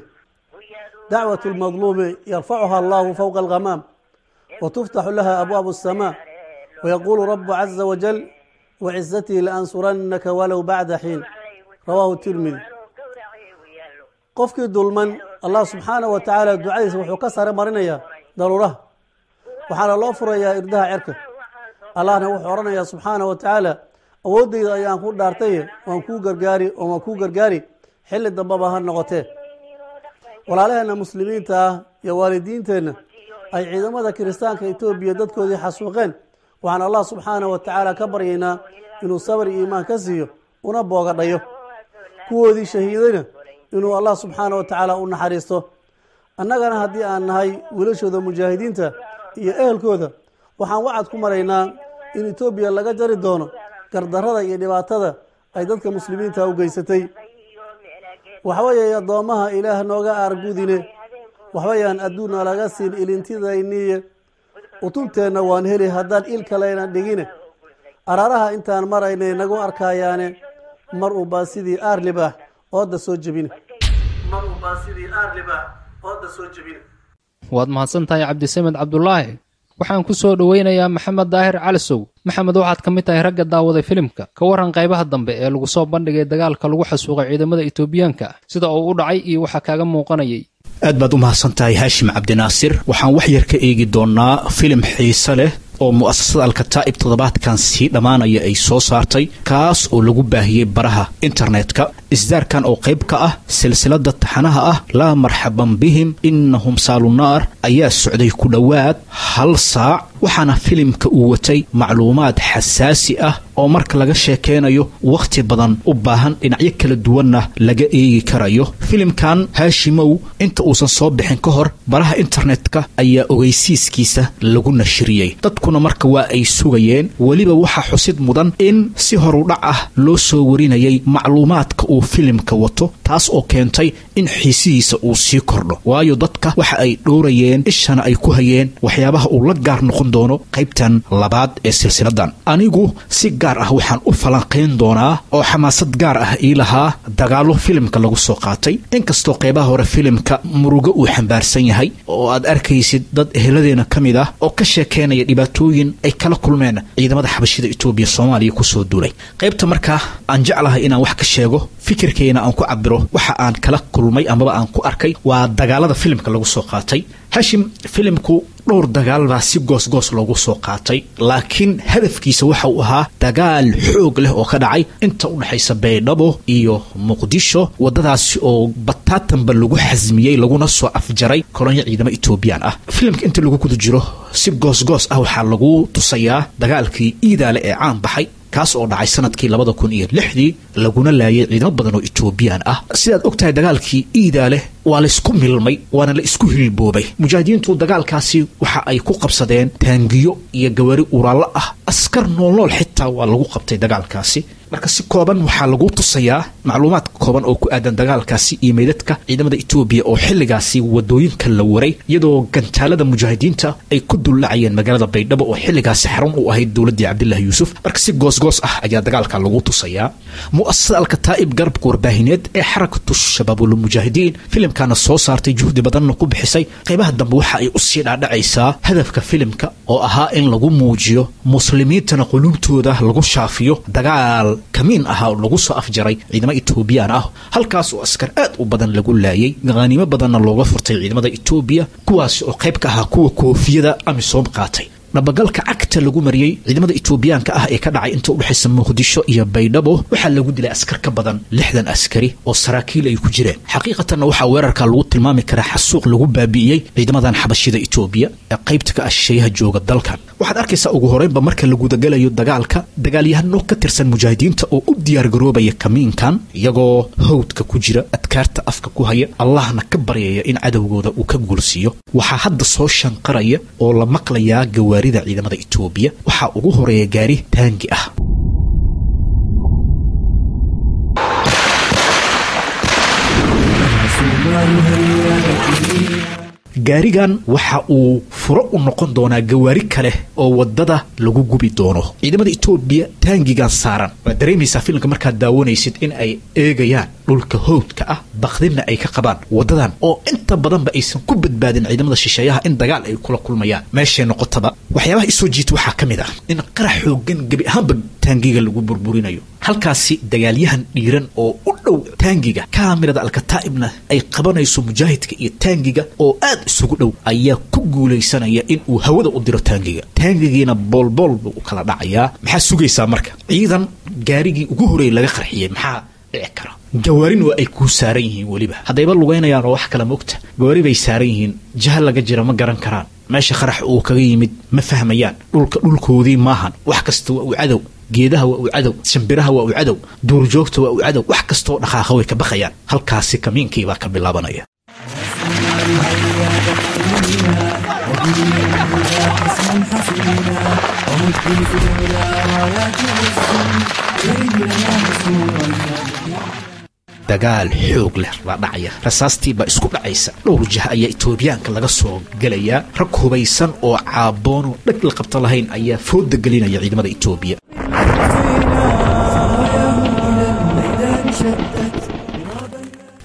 dacwat lmadluumi yarfacuha allahu fowqa alghamaam wa tuftaxu laha abwaabu asamaa, wayaquulu rabu caza wajal: wacizatii laansurannaka walow bacda xiin. Rawaahu Tirmidi. Qofkii dulman Allah subxaanaه wa tacaala ducadiisa wuxuu ka sare marinayaa daruuraha, waxaana loo furayaa irdaha cerka. Allahna wuxuu odhanayaa subxaanaه wa tacaala: awooddayda ayaan ku dhaartaye, waan kuu gargaari oo waan kuu gargaari, xilli dambaba ha noqotee. Walaalaheenna muslimiinta ah iyo waalidiinteenna ay ciidamada kiristaanka Etoobiya dadkoodii xasuuqeen, waxaan Allah subxaanaه wa tacaala ka baryaynaa inuu sabar iyo iimaan ka siiyo una boogadhayo, kuwoodii shahiidayna inuu Allah subxaanaه wa tacaala u naxariisto. Annagana haddii aan nahay wiilashooda mujaahidiinta iyo ehelkooda, waxaan wacad ku maraynaa in Etoobiya laga jari doono gardarrada iyo dhibaatada ay dadka muslimiinta u geysatay. Waxweeye addoommaha Ilaah nooga aargudine, waxbayaan adduunna laga siin ilintidayniye, utunteenna waan heli haddaan il kaleyna dhigine, araaraha intaan maraynay nagu arkayaane, mar uu baa sidii aarlibaax ooda soo jebine. Waad mahadsan tahay Cabdisamed Cabdulaahi. Waxaan ku soo dhoweynayaa Maxamed Daahir Calisow. Maxamed, waxaad ka mid tahay ragga daawaday filimka. Ka warran qaybaha dambe ee lagu soo bandhigay dagaalka lagu xasuuqay ciidamada Itoobiyaanka, sida uu u dhacay iyo waxaa kaaga muuqanayay. Aad baad u mahadsan tahay Haashim Cabdinaasir. Waxaan wax yar ka eegi doonnaa filim xiise leh oo mu'asasada Alkataa'ib toddobaadkan sii dhammaanaya ay soo saartay, kaas oo lagu baahiyey baraha internetka. Isdaarkan oo qayb ka ah silsiladda taxanaha ah Laa marxaban bihim innahum saalunaar ayaa socday ku dhowaad hal saac, waxaana filimka uu watay macluumaad xasaasi ah oo marka laga sheekeynayo wakhti badan u baahan, dhinacyo kala duwanna laga eegi karayo. Filimkan Haashimow inta uusan soo bixin ka hor baraha internetka ayaa ogeysiiskiisa lagu nashriyey, dadkuna marka waa ay sugayeen. Weliba waxaa xusid mudan in si horudhac ah loo soo warinayay macluumaadka uu filimka wato, taas oo keentay in xiisihiisa uu sii kordho, waayo dadka waxa ay dhowrayeen ishana ay ku hayeen waxyaabaha uu la gaar noqon doono qaybtan labaad ee silsiladan. Anigu si gaar ah waxaan u falanqayn doonaa oo xamaasad gaar ah ii lahaa dagaallo filimka lagu soo qaatay. Inkastoo qeybaha hore filimka murugo uu xambaarsan yahay oo aad arkaysid dad eheladeena ka mid ah oo ka sheekeynaya dhibaatooyin ay kala kulmeen ciidamada xabashida Itoobiya Soomaaliya kusoo duulay. Qaybta markaa aan jeclahay inaan wax ka sheego, fikirkeyna aan ku cabiro waxa aan kala kulmay amaba aan ku arkay waa dagaalada filimka lagu soo qaatay. Hashim, filimku dhowr dagaal baa si goosgoos loogu soo qaatay, laakiin hadafkiisa waxa uu ahaa dagaal xoog leh oo ka dhacay inta u dhexaysa Baydhabo iyo Muqdisho, waddadaasi oo bataatanba lagu xasmiyey laguna soo afjaray kolonyo ciidamo Etoobiyaan ah. Filimka inta lagu guda jiro si goosgoos ah waxaa lagu tusayaa dagaalkii Iidaale ee caan baxay, kaas oo dhacay sanadkii labada kun iyo lixdii laguna laayay ciidamo badan oo Etoobiyaan ah. Sidaad og tahay dagaalkii Iidaale waa la isku milmay waana la isku hilboobay. Mujaahidiintu dagaalkaasi waxa ay ku qabsadeen taangiyo iyo gawaari uraallo ah, askar noolnool xitaa waa lagu qabtay dagaalkaasi. Marka si kooban waxaa lagu tusayaa macluumaad kooban oo ku aadan dagaalkaasi iyo meydadka ciidamada Itoobiya oo xilligaasi wadooyinka la waray, iyadoo gantaalada mujaahidiinta ay ku dullacayeen magaalada Baydhabo oo xilligaasi xarun u ahayd dowladdii Cabdilaahi Yuusuf. Marka si goosgoos ah ayaa dagaalka lagu tusayaa. Mu'asasada Alkataa'ib, garabka warbaahineed ee Xarakatu Shabaabul Mujaahidiin, filimkana soo saartay juhdi badanna ku bixisay, qaybaha dambe waxa ay usii dhaadhacaysaa hadafka filimka oo ahaa in lagu muujiyo muslimiintana quluubtooda lagu shaafiyo dagaal kamiin ahaa oo lagu soo afjaray ciidamo Etoobiyaan ah, halkaas oo askar aad u badan lagu laayay, khaniimo badanna looga furtay ciidamada Etoobiya, kuwaasi oo qayb ka ahaa kuwa koofiyada Amisom qaatay. Dhabagalka cagta lagu mariyey ciidamada Etoobiyaanka ah ee ka dhacay inta u dhexaysa Muqdisho iyo Baydhabo waxaa lagu dilay askar ka badan lixdan askari oo saraakiil ay ku jireen. Xaqiiqatanna waxaa weerarka lagu tilmaami karaa xasuuq lagu baabi'iyey ciidamadan xabashida Etoobiya ee qaybta ka ah shisheeyaha jooga dalkan. Waxaad arkaysaa ugu horeynba marka la gudagalayo dagaalka dagaalyahano ka tirsan mujaahidiinta oo u diyaargaroobaya kamiinkan, iyagoo hawdka ku jira, adkaarta afka ku haya, Allahna ka baryaya in cadowgooda uu ka guulsiiyo. Waxaa hadda soo shanqaraya oo la maqlayaa gawaarida ciidamada Itoobiya. Waxaa ugu horeeya gaari taangi ah. Gaarigan waxa uu furo u noqon doonaa gawaari kale oo wadada lagu gubi doono. Ciidamada Itoobiya taangigan saaran waad dareemaysaa filimka markaad daawanaysid in ay eegayaan dhulka howdka ah, baqdinna ay ka qabaan wadadan oo inta badanba aysan ku badbaadin ciidamada shisheeyaha in dagaal ay kula kulmayaan meeshay noqotaba. Waxyaabaha isoo jiita waxaa ka mid ah in qarax xoogan gebi ahaanba taangiga lagu burburinayo. Halkaasi dagaalyahan dhiiran oo u dhow taangiga, kaamirada Alkataa'ibna ay qabanayso mujaahidka iyo taangiga oo aad isugu dhow, ayaa ku guulaysanaya in uu hawada u diro taangiga. Taangigiina boolbool buu u kala dhacayaa. Maxaa sugaysaa marka ciidan gaarigii ugu horreeyay laga qarxiyey? Maxaa dhici kara? Gawaarin waa ay kuu saaran yihiin, weliba haddayba lugaynayaan oo wax kale mogta gawaari bay saaran yihiin, jaha laga jira ma garan karaan, meesha qarax uu kaga yimid ma fahmayaan, dhulka dhulkoodii maahan, wax kasta waa uu cadow, geedaha waa uu cadow, shimbiraha waa uu cadow, duurjoogta waa uu cadow, wax kastoo dhaqaaqa way ka baqayaan. Halkaasi kamiinkii baa ka bilaabanaya. Dagaal xoog leh baa dhacaya, rasaastii baa isku dhacaysa, dhowr jah ayaa Itoobiyaanka laga soo gelayaa. Rag hubaysan oo caaboonoo dhag la qabta lahayn ayaa fooda gelinaya ciidamada Itoobiya.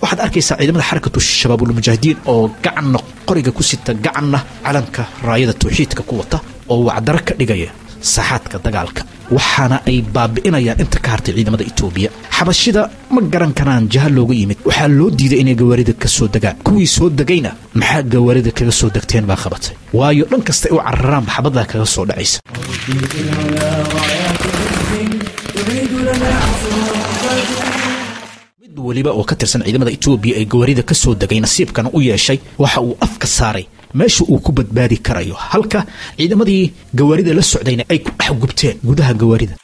Waxaad arkaysaa ciidamada Xarakatu Shabaabulmujaahidiin oo gacanna qoriga ku sita, gacanna calanka raayada tawxiidka ku wata, oo wacdaro ka dhigaya saaxaadka dagaalka, waxaana ay baabi'inayaan inta ka hartay ciidamada Itoobiya. Xabashida ma garan karaan jaha looga yimid. Waxaa loo diiday inay gawaarida ka soo degaan. Kuwii soo degayna maxaa gawaarida kaga soo degteen baa qabatay, waayo dhan kasta ay u cararaanba xabadaa kaga soo dhacaysa. Mid weliba oo ka tirsan ciidamada Itoobiya ee gawaarida ka soo degay nasiibkana u yeeshay waxa uu afka saaray meesha uu ku badbaadi karayo, halka ciidamadii gawaarida la socdayna ay ku dhex gubteen gudaha gawaarida.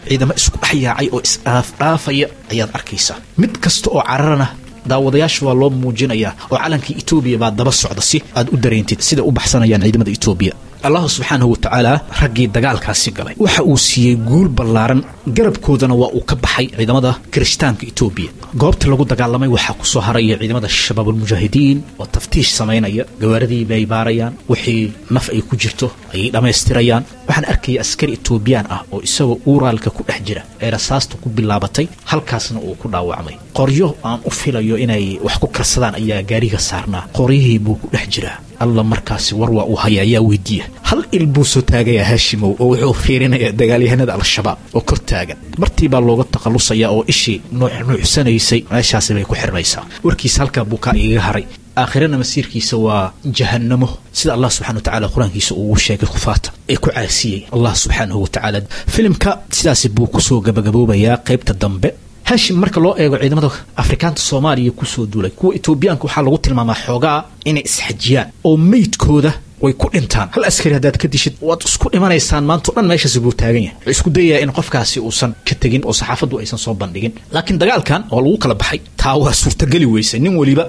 Ciidamo isku dhex yaacay oo is-dhaafdhaafaya ayaad arkaysaa. Mid kasta oo cararana daawadayaasha waa loo muujinayaa oo calankii Itoobiya baa daba socda si aad u dareentid sida u baxsanayaan ciidamada Itoobiya. Allah subxaanahu wa tacaala raggii dagaalkaasi galay waxa uu siiyey guul ballaaran, garabkoodana waa uu ka baxay ciidamada kirishtaanka Itoobiya. Goobta lagu dagaalamay waxaa ku soo haraya ciidamada shabaabulmujaahidiin oo taftiish samaynaya, gawaaridii bay baarayaan, wixii naf ay ku jirto ayay dhammaystirayaan. Waxaan arkaya askari Itoobiyaan ah oo isagoo uuraalka ku dhex jira ee rasaasta ku bilaabatay, halkaasna uu ku dhaawacmay. Qoryo aan u filayo inay wax ku karsadaan ayaa gaariga saarnaa, qoryihii buu ku dhex jiraa. Alla markaasi war waa uu haya ayaa weydiiya. Hal il buu soo taagayaa Haashimow oo wuxuu fiirinayaa dagaalyahanada Al-Shabaab oo kor taagan. Martii baa looga takhalusayaa oo ishii nuuxnuuxsanaysay meeshaasi bay ku xirmaysaa. Warkiisa halkaa buu kaa igaga haray. Aakhirana masiirkiisa waa jahannamo, sida Allah subxana wa tacaala qur-aankiisa ugu sheegay kufaata ee ku caasiyey Allah subxaanahu wa tacaala. Filimka sidaasi buu kusoo gabagaboobayaa qaybta dambe. Haashim, marka loo eego ciidamada Afrikaanta Soomaaliya kusoo duulay, kuwa Itoobiyaanka waxaa lagu tilmaamaa xoogaa inay isxajiyaan oo meydkooda way ku dhintaan. Hal askari haddaad ka dishid waad isku dhimanaysaan, maanta o dhan meeshaasi buu taagan yahay. Wuxuu isku dayayaa in qofkaasi uusan ka tegin oo saxaafaddu aysan soo bandhigin. Laakiin dagaalkan oo lagu kala baxay taa waa suurtageli weysay. Nin weliba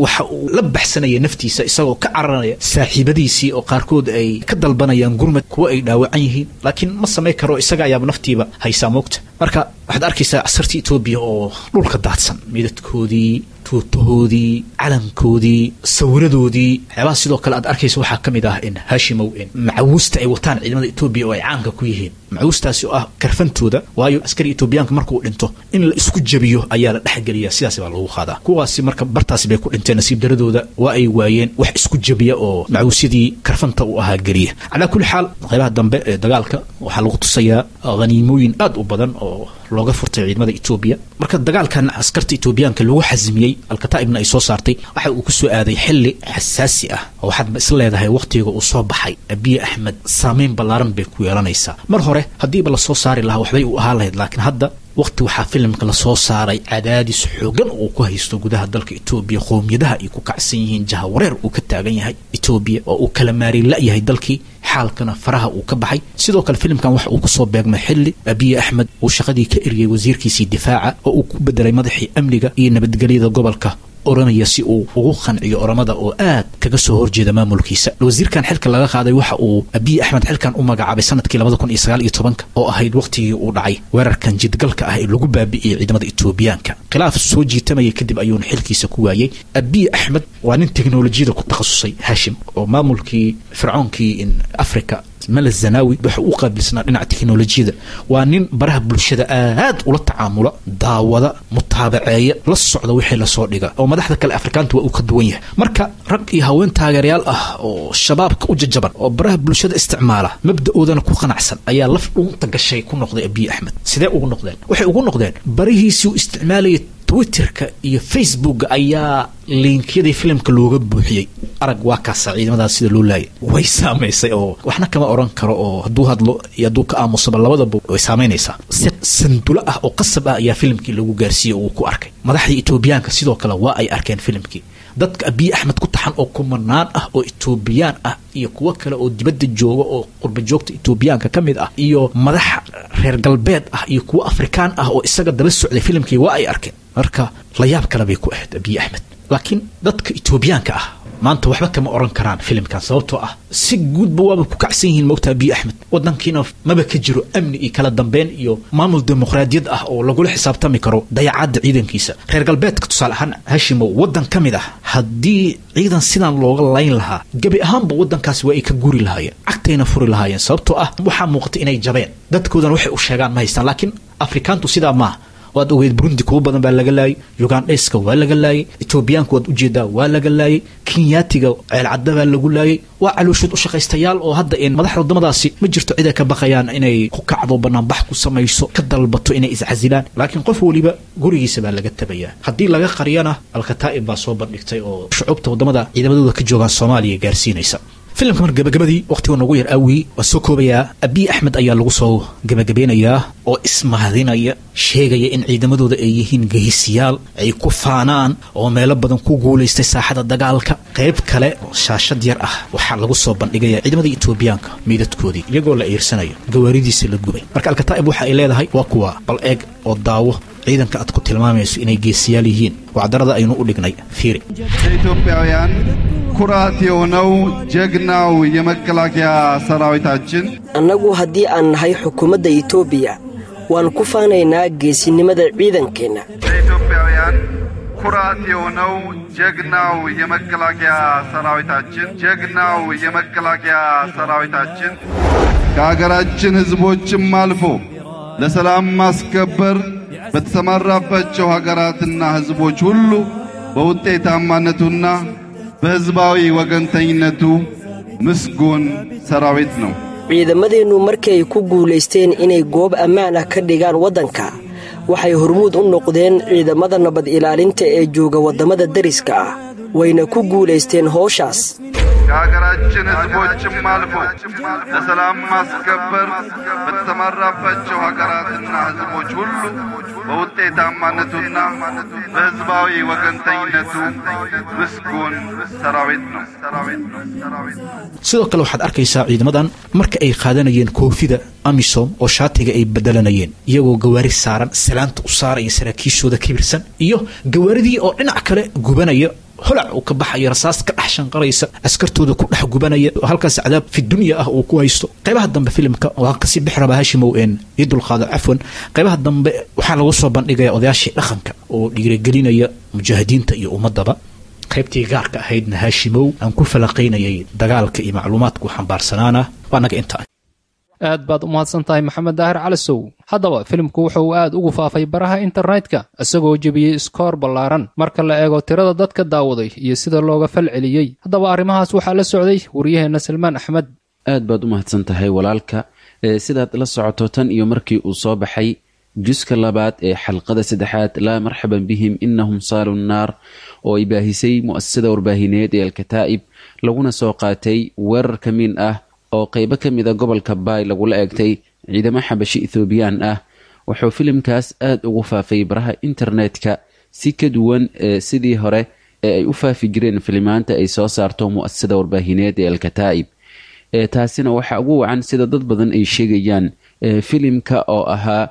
waxa uu la baxsanaya naftiisa isagoo ka cararaya saaxiibadiisii oo qaarkood ay ka dalbanayaan gurmad, kuwa ay dhaawacan yihiin, laakiin ma samay karo, isaga ayaaba naftiiba haysaa moogta. Marka waxaad arkaysaa askartii Itoobiya oo dhulka daadsan, meydadkoodii, tuutahoodii, calankoodii, sawiradoodii. Waxyaabaha sidoo kale aad arkaysa waxaa ka mid ah in Haashimow in macawuusta ay wataan ciidamada Itoobiya oo ay caanka ku yihiin, macawuustaasi oo ah karfantooda. Waayo askari Itoobiyaanka markuu dhinto in la isku jabiyo ayaa la dhexgeliya, sidaas baa lagu qaadaa. Kuwaasi marka bartaasi bay ku dhinteen, nasiib daradooda waa ay waayeen wax isku jabiya oo macawuusyadii karfanta uu ahaa geliya. Calaa kulli xaal, qaybaha dambe ee dagaalka waxaa lagu tusayaa haniimooyin aad u badan oo looga furtay ciidamada Itoobiya. Marka dagaalkan askarta Itoobiyaanka lagu xasmiyey, Alkataa'ibna ay soo saartay, waxa uu ku soo aaday xilli xasaasi ah oo waxaad is leedahay waqtiga uu soo baxay Abiy Axmed saameyn ballaaran bay ku yeelanaysaa. Mar hore haddiiba lasoo saari lahaa waxbay u ahaan lahayd, laakiin hadda waqti waxaa filimka lasoo saaray cadaadis xoogan uu ku haysto gudaha dalka Itoobiya, qowmiyadaha ay ku kacsan yihiin, jahawareer uu ka taagan yahay Itoobiya oo uu kala maarin la-yahay dalkii, xaalkana faraha uu ka baxay. Sidoo kale filimkan waxa uu kusoo beegmay xilli Abiy Axmed uu shaqadii ka eriyey wasiirkiisii difaaca oo uu ku bedelay madaxii amniga iyo nabadgelyada gobolka Oromaya si uu ugu qanciyo Oromada oo aad kaga soo horjeeda maamulkiisa. Wasiirkan xilka laga qaaday waxa uu Abiy Axmed xilkan u magacaabay sanadkii labada kun iyo sagaal iyo tobanka oo ahayd waqtigii uu dhacay weerarkan jidgalka ah ee lagu baabi'iyey ciidamada Itoobiyaanka. Khilaaf soo jiitamaya kadib ayuuna xilkiisa ku waayey. Abiy Axmed waa nin teknolojiyada ku takhasusay Haashim, oo maamulkii fircoonkii in Africa Mala Zanawi waxa uu qaabilsanaa dhinaca teknolojiyada. Waa nin baraha bulshada aad ula tacaamula, daawada, mutaabaceeya, la socda wixii lasoo dhiga, oo madaxda kale Afrikaanta waa uu ka duwan yahay. Marka rag iyo haween taageerayaal ah oo shabaabka u jajaban oo baraha bulshada isticmaala, mabda'oodana ku qanacsan ayaa laf dhuunta gashay ku noqday Abiy Axmed. Sidee ugu noqdeen? Waxay ugu noqdeen barihiisii uu isticmaalayay Twitterka iyo Facebooka ayaa linkyadii filimka looga buuxiyey. Arag waa kaasa ciidamadaas sida loo laayay, way saamaysay oo waxna kama oran karo, oo hadduu hadlo iyo hadduu ka aamusaba labadaba way saamaynaysaa. Si sandulo ah oo qasab ah ayaa filimkii lagu gaarsiiyey oo uu ku arkay. Madaxdii Itoobiyaanka sidoo kale waa ay arkeen filimkii. Dadka Abiy Axmed ku taxan oo kumanaan ah oo Itoobiyaan ah iyo kuwo kale oo dibadda jooga oo qurba joogta Itoobiyaanka ka mid ah iyo madax reer galbeed ah iyo kuwo Afrikaan ah oo isaga daba socday filimkii waa ay arkeen. Marka la yaab kale bay ku ahayd Abiy Axmed. Laakiin dadka Itoobiyaanka ah maanta waxba kama oran karaan filimkan, sababtoo ah si guudba waaba ku kacsan yihiin moogta Abiy Axmed. Wadankiina maba ka jiro amni iyo kala dambeyn iyo maamul dimuqraadiyad ah oo lagula xisaabtami karo dayacaadda ciidankiisa. Reer galbeedka tusaale ahaan Hashimow, wadan ka mid ah haddii ciidan sidan looga layn lahaa gebi ahaanba wadankaasi waa ay ka guri lahaayeen, cagtayna furi lahaayeen, sababtoo ah waxaa muuqata inay jabeen, dadkoodana waxay u sheegaan ma haystaan. Laakiin Afrikaantu sidaa maaha. Waad ogeyd Burundi kuwa badan baa laga laayay, Ugandheska waa laga laayay, Etoobiyaanka waad ujeedaa waa laga laayay, Kenyaatiga ceelcadda baa lagu laayay. Waa calooshood u shaqaystayaal oo hadda in madaxda waddamadaasi ma jirto cid ay ka baqayaan inay ku kacdo, banaanbax ku samayso, ka dalbato inay iscasilaan. Laakiin qof weliba gurigiisa baa laga tabayaa, haddii laga qariyana Alkataa'ib baa soo bandhigtay oo shucuubta waddamada ciidamadooda ka joogaan Soomaaliya gaarsiinaysa filimka. Mar gabagabadii waqtiga noogu yar aawii waa soo koobayaa. Abiy Axmed ayaa lagu soo gabagabeynayaa oo ismahadinaya, sheegaya in ciidamadooda ay yihiin geesiyaal ay ku faanaan oo meelo badan ku guulaystay saaxada dagaalka. Qayb kale oo shaashad yar ah waxaa lagu soo bandhigaya ciidamada Itoobiyaanka meydadkoodii iyagoo la iirsanayo, gawaaridiisa la gubay. Marka Alkataa'ib waxa ay leedahay waa kuwa, bal eeg oo daawo ciidanka aad ku tilmaamayso inay geesiyaal yihiin, wacdarada aynu u dhignay fiiri. ኢትዮጵያውያን ኩራት የሆነው ጀግናው የመከላከያ ሰራዊታችን Annagu haddii aan nahay xukuumadda Itoobiya waan ku faanaynaa geesinimada ciidankeenna. ለኢትዮጵያውያን ኩራት የሆነው ጀግናው የመከላከያ ሰራዊታችን ጀግናው የመከላከያ ሰራዊታችን ከሀገራችን ሕዝቦችም አልፎ ለሰላም ማስከበር በተሰማራባቸው ሀገራትና ሕዝቦች ሁሉ በውጤታማነቱና በሕዝባዊ ወገንተኝነቱ ምስጉን ሰራዊት ነው። Ciidamadeennu markii ay ku guulaysteen inay goob ammaan ah ka dhigaan waddanka, waxay hormuud u noqdeen ciidamada nabad ilaalinta ee jooga waddamada deriska ah, wayna ku guulaysteen howshaas. ከሀገራችን ሕዝቦችም አልፎ ለሰላም ማስከበር በተሰማራባቸው ሀገራትና ሕዝቦች ሁሉ በውጤታማነቱና በሕዝባዊ ወገንተኝነቱ ምስጉን ሰራዊት ነው። Sidoo kale waxaad arkaysaa ciidamadan marka ay qaadanayeen koofida AMISOM oo shaatiga ay bedelanayeen, iyagoo gawaari saaran salaanta u saaraya saraakiishooda kibirsan, iyo gawaaridii oo dhinac kale gubanaya, holac uu ka baxayo, rasaas ka dhex shanqaraysa, askartooda ku dhex gubanaya, halkaas cadaab fi dunya ah uu ku haysto. Qaybaha dambe filimka waan kasii bixi rabaa, Hashimow, een ii dulqaado, cafwan. Qaybaha dambe waxaa lagu soo bandhigaya odayaashii dhaqanka oo dhiirigelinaya mujaahidiinta iyo ummadaba. Qaybtii gaarka ahaydna, Haashimow, aan ku falaqaynayay dagaalka iyo macluumaadku xambaarsanaana waa naga intaa. Aad baad u mahadsan tahay, Maxamed Daahir Calasow. Haddaba filimku wuxuu aad ugu faafay baraha internetka, isagoo jebiyey iskoor ballaaran marka la eego tirada dadka daawaday iyo sida looga fal celiyey. Haddaba arrimahaas waxaa la socday wariyaheenna Salmaan Axmed. Aad baad u mahadsan tahay, walaalka. Sidaad la socoto, tan iyo markii uu soo baxay juska labaad ee xalqada saddexaad, Laa marxaban bihim innahum saalu nnaar, oo ay baahisay mu'asasada warbaahineed ee Alkataa'ib, laguna soo qaatay weerar ka miin ah oo qeybo ka mid a gobolka Baay lagula eegtay ciidamo Xabashi Ethoobiyan ah, wuxuu filimkaas aada ugu faafay baraha internetka si ka duwan sidii hore ee ay u faafi jireen filimaanta ay soo saarto mu'asasada warbaahineed ee Alkataa'ib. Taasina waxaa ugu wacan, sida dad badan ay sheegayaan, filimka oo ahaa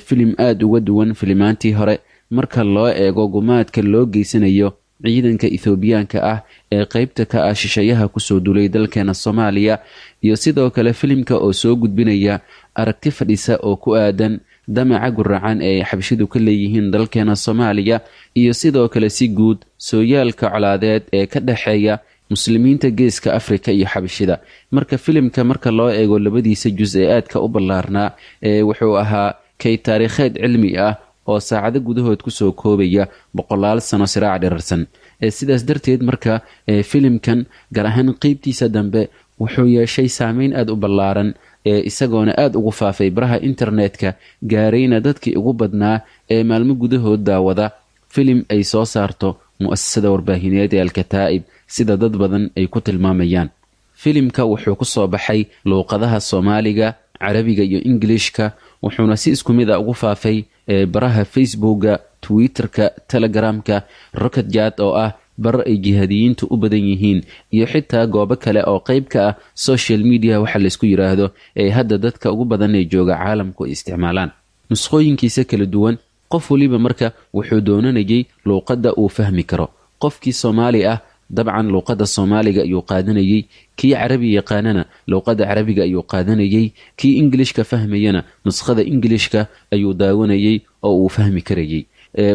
filim aada uga duwan filimaantii hore marka loo eego gumaadka loo geysanayo ciidanka Ethoobiyaanka ah ee qeybta ka ah shisheeyaha kusoo dulay dalkeena Soomaaliya, iyo sidoo kale filimka oo soo gudbinaya aragti fadhisa oo ku aadan damaca guracan ee ay Xabashidu ka leeyihiin dalkeena Soomaaliya, iyo sidoo kale si guud sooyaalka colaadeed ee ka dhexeeya Muslimiinta Geeska Afrika iyo Xabashida. Marka filimka marka loo eego labadiisa jus ee aadka u ballaarnaa, ee wuxuu ahaa kay taariikheed cilmi ah oo saacado gudahood kusoo koobaya boqolaal sano siraac dhirarsan. Sidaas darteed marka filimkan, gaar ahaan qeybtiisa dambe, wuxuu yeeshay saameyn aada u ballaaran, isagoona aada ugu faafay baraha internetka, gaarayna dadkii ugu badnaa ee maalmo gudahood daawada filim ay soo saarto mu'asasada warbaahineed ee Alkataa'ib, sida dad badan ay ku tilmaamayaan. Filimka wuxuu ku soo baxay luuqadaha Soomaaliga, Carabiga iyo Ingilishka, wuxuuna si isku mid a ugu faafay baraha Facebooka, Twitterka, Telegramka, Rocketjat oo ah bar ay jihaadiyiintu u badan yihiin, iyo xitaa goobo kale oo qeyb ka ah social media waxa laysku yidhaahdo ee hadda dadka ugu badan ee jooga caalamku ay isticmaalaan, nuskhooyinkiisa kala duwan. Qof waliba marka wuxuu doonanayay luuqadda uu fahmi karo. Qofkii Soomaali ah dabcan luuqadda Soomaaliga ayuu qaadanayey, kii Carabi yaqaanana luuqadda Carabiga ayuu qaadanayey, kii Ingilishka fahmayana nuskhada Ingilishka ayuu daawanayey oo uu fahmi karayey.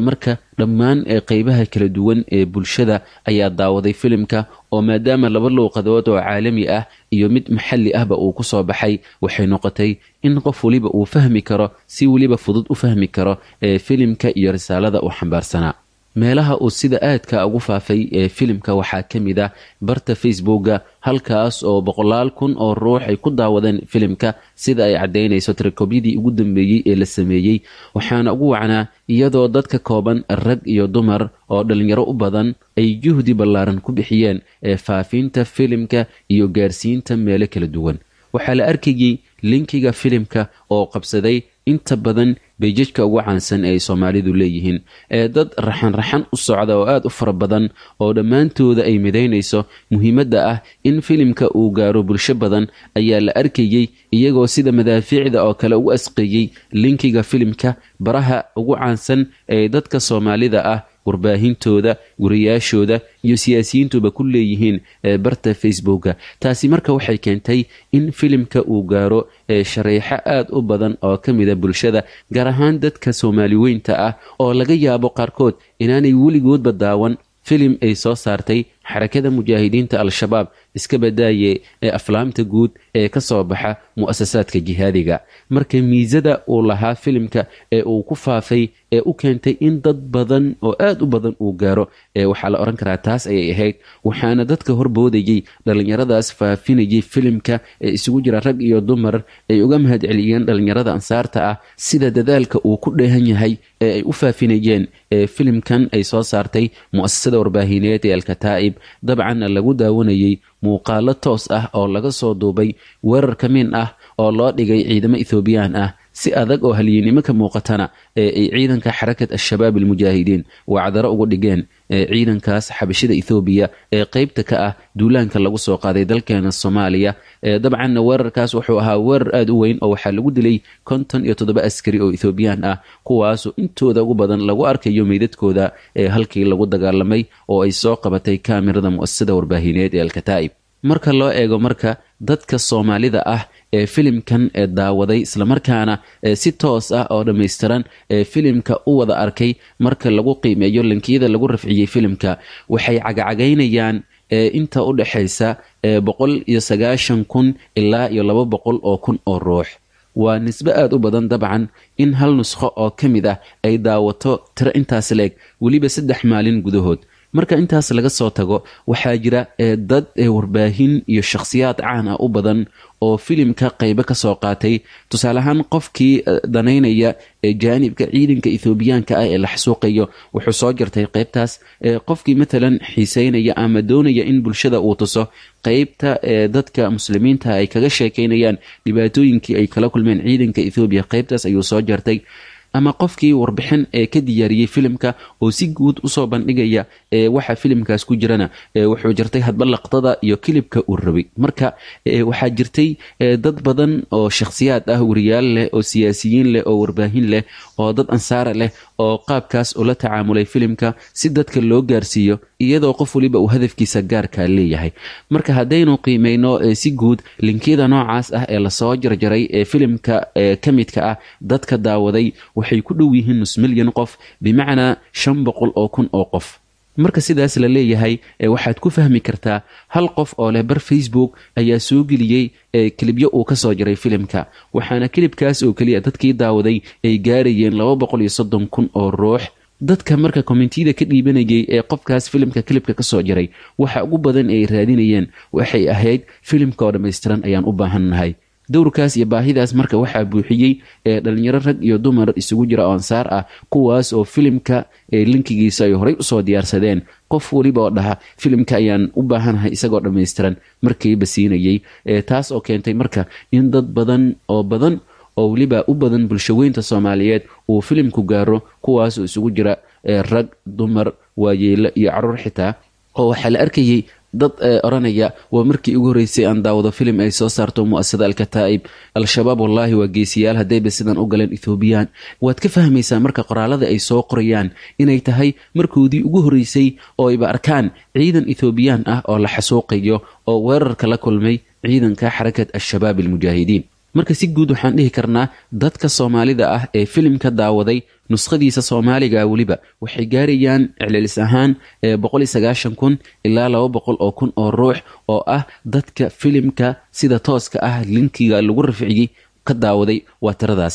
Marka dhammaan qeybaha kala duwan ee bulshada ayaa daawaday filimka, oo maadaama laba luuqadood oo caalami ah iyo mid maxalli ahba uu kusoo baxay, waxay noqotay in qof waliba uu fahmi karo, si weliba fudud u fahmi karo ee filimka iyo risaalada uu xambaarsanaa. Meelaha uu sida aadka ugu faafay ee filimka waxaa ka mid ah barta Facebooka, halkaas oo boqolaal kun oo ruux ay ku daawadeen filimka, sida ay caddaynayso tirakobyadii ugu dambeeyey ee la sameeyey. Waxaana ugu wacnaa iyadoo dadka kooban, rag iyo dumar oo dhalinyaro u badan, ay juhdi ballaaran ku bixiyeen ee faafinta filimka iyo gaarsiinta meelo kala duwan. Waxaa la arkayey linkiga filimka oo qabsaday inta badan pages-ka ugu caansan ee ay Soomaalidu leeyihiin, ee dad raxan raxan u socda oo aada u fara badan oo dhammaantooda ay midaynayso muhiimadda ah in filimka uu gaaro bulsho badan ayaa la arkayey. iyagoo sida madaafiicda oo kale ugu asqeeyey linkiga filimka baraha ugu caansan ee dadka Soomaalida ah warbaahintooda, guriyaashooda iyo siyaasiyiintuba ku leeyihiin barta Facebooka. Taasi marka waxay keentay in filimka uu gaaro shareexo aad u badan oo ka mida bulshada, gaar ahaan dadka Soomaaliweynta ah oo laga yaabo qaarkood inaanay weligoodba daawan filim ay soo saartay xarakada mujaahidiinta Al-Shabaab, iska badaaye ee aflaamta guud ee ka soo baxa mu'asasaadka jihaadiga. Marka miisada uu lahaa filimka ee uu ku faafay ee u keentay in dad badan oo aad u badan uu gaaro, ee waxaa la oran karaa taas ayay ahayd. Waxaana dadka horboodayey dhallinyaradaas faafinayay filimka ee isugu jira rag iyo dumar ay uga mahadceliyeen dhallinyarada ansaarta ah sida dadaalka uu ku dheehan yahay ee ay u faafinayeen ee filimkan ay soo saartay mu'asasada warbaahineed ee Al-Kataa'ib. Dabcan lagu daawanayay muuqaalo toos ah oo laga soo duubay weerar ka min ah oo loo dhigay ciidamo Ethioobiyaan ah, si adag oo halyeennimo ka muuqatana ee ay ciidanka xarakat al-shabaab almujaahidiin wacdaro ugu dhigeen ciidankaas xabashida Ethoobiya ee qaybta ka ah duulaanka lagu soo qaaday dalkeena Soomaaliya. Dabcanna weerarkaas wuxuu ahaa weerar aad u weyn oo waxaa lagu dilay konton iyo toddoba askari oo Ethioobiyaan ah, kuwaasoo intooda ugu badan lagu arkayo meydadkooda ee halkii lagu dagaalamay oo ay soo qabatay kaamirada mu'asasada warbaahineed ee Al-Kataa'ib. Marka loo eego marka dadka Soomaalida ah ee filimkan ee daawaday islamarkaana si toos ah oo dhammaystiran ee filimka u wada arkay, marka lagu qiimeeyo linkiyada lagu rafciyey filimka, waxay cagacagaynayaan inta u dhexaysa boqol iyo sagaashan kun ilaa iyo laba boqol oo kun oo ruux. Waa nisbe aad u badan dabcan in hal nusqo oo ka mid ah ay daawato tiro intaas leeg weliba saddex maalin gudahood. Marka intaas laga soo tago, waxaa jira dad warbaahin iyo shakhsiyaad caan ah u badan oo filimka qaybo ka soo qaatay. Tusaale ahaan, qofkii danaynaya jaanibka ciidanka Ethoobiyaanka ah ee la xasuuqayo wuxuu soo jartay qaybtaas. Qofkii matalan xiiseynaya ama doonaya in bulshada uu tuso qaybta dadka muslimiinta ay kaga sheekeynayaan dhibaatooyinkii ay kala kulmeen ciidanka Ethoobiya, qaybtaas ayuu soo jartay. Ama qofkii warbixin ee ka diyaariyey filimka oo si guud usoo bandhigaya ee waxa filimkaas ku jirana, wuxuu jirtay hadba laqdada iyo kilibka uu rabay. Marka waxaa jirtay dad badan oo shakhsiyaad ah, wariyaal leh oo siyaasiyiin leh oo warbaahin leh oo dad ansaara leh oo qaabkaas ula tacaamulay filimka si dadka loo gaarsiiyo, iyadoo qof waliba uu hadafkiisa gaarka leeyahay. Marka haddaynu qiimeyno si guud linkiyada noocaas ah ee lasoo jarjaray ee filimka ka midka ah, dadka daawaday waxay ku dhow yihiin nus milyan qof, bimacnaa shan boqol oo kun oo qof. Marka sidaas la leeyahay, waxaad ku fahmi kartaa hal qof oo leh bar Facebook ayaa soo geliyey kilibyo uu ka soo jaray filimka, waxaana kilibkaas oo keliya dadkii daawaday ay gaarayeen laba boqol iyo soddon kun oo ruux. Dadka marka kommentiyada ka dhiibanayay ee qofkaas filimka kilibka ka soo jaray, waxa ugu badan ay raadinayeen waxay ahayd filimka oo dhammaystiran ayaan u baahannahay. Dowrkaas iyo baahidaas marka waxaa buuxiyey ee dhalinyaro rag iyo dumar isugu jira oo ansaar ah, kuwaas oo filimka linkigiisa ay horey usoo diyaarsadeen. Qof weliba oo dhaha filimka ayaan u baahanahay isagoo dhammaystiran markiiba siinayey, taas oo keentay marka in dad badan oo badan oo weliba u badan bulshaweynta Soomaaliyeed uu filimku gaaro, kuwaasoo isugu jira rag, dumar, waayeelo iyo caruur xitaa. Oo waxaa la arkayey dad oranaya waa markii ugu horreysay aan daawado filim ay soo saarto mu'asasada Al-Kataa'ib, Al-Shabaab wallaahi waa geesiyaal haddayba sidan u galeen Ethioobiyaan. Waad ka fahmaysaa marka qoraalada ay soo qorayaan inay tahay markoodii ugu horreysay oo ayba arkaan ciidan Ethioobiyaan ah oo la xasuuqayo oo weerarka la kulmay ciidanka xarakat al-shabaab almujaahidiin. Marka si guud waxaan dhihi karnaa dadka Soomaalida ah ee filimka daawaday nuskhadiisa Soomaaliga weliba waxay gaarayaan celcelis ahaan boqol iyo sagaashan kun ilaa laba boqol oo kun oo ruux oo ah dadka filimka sida tooska ah linkiga lagu rafciyey ka daawaday. Waa tiradaas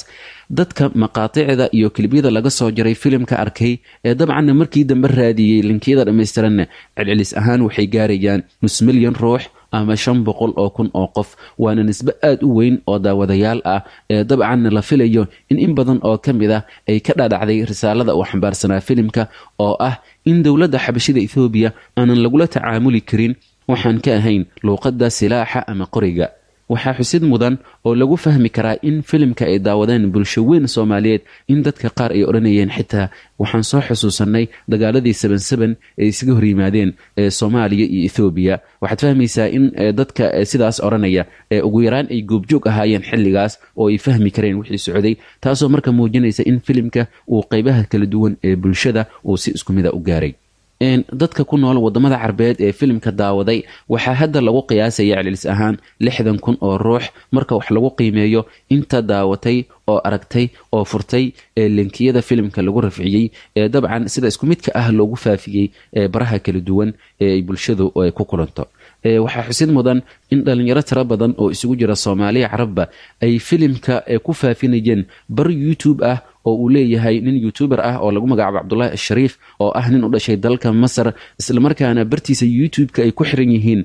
dadka maqaaticda iyo kilibyada laga soo jaray filimka arkay ee dabcanna markii dambe raadiyey linkiyada dhammaystiranna celcelis ahaan waxay gaarayaan nus milyan ruux ama shan boqol oo kun oo qof. Waana nisbe aad u weyn oo daawadayaal ah ee dabcanna la filayo in in badan oo ka mid ah ay ka dhadhacday risaalada uu xambaarsanaa filimka oo ah in dowladda xabashida Ethoobiya aanan lagula tacaamuli karin waxaan ka ahayn luuqadda silaaxa ama qoriga. Waxaa xusid mudan oo lagu fahmi karaa in filimka ay daawadeen bulsho weyn Soomaaliyeed in dadka qaar ay odhanayeen xitaa waxaan soo xusuusanay dagaaladii seben seben ee isaga hor yimaadeen ee Soomaaliya iyo Ethoobiya. Waxaad fahmaysaa in dadka sidaas odhanaya ee ugu yaraan ay goobjoog ahaayeen xilligaas oo ay fahmi kareen wixii socday, taasoo marka muujinaysa in filimka uu qaybaha kala duwan ee bulshada uu si isku mida u gaaray. Dadka ku nool wadamada Carbeed ee filimka daawaday waxaa hadda lagu qiyaasaya celcelis ahaan lixdan kun oo ruux marka wax lagu qiimeeyo inta daawatay oo aragtay oo furtay ee linkiyada filimka lagu rafciyey ee dabcan sida isku midka ah loogu faafiyey ee baraha kala duwan ee ay bulshadu ay ku kulanto. Waxaa xusid mudan in dhalinyaro tiro badan oo isugu jira Soomaaliya Carabba ay filimka ku faafinayeen bar YouTube ah oo uu leeyahay nin youtuber ah oo lagu magacaabo Cabdullaahi Ashariif oo ah nin u dhashay dalka Masar, islamarkaana bartiisa YouTube-ka ay ku xiran yihiin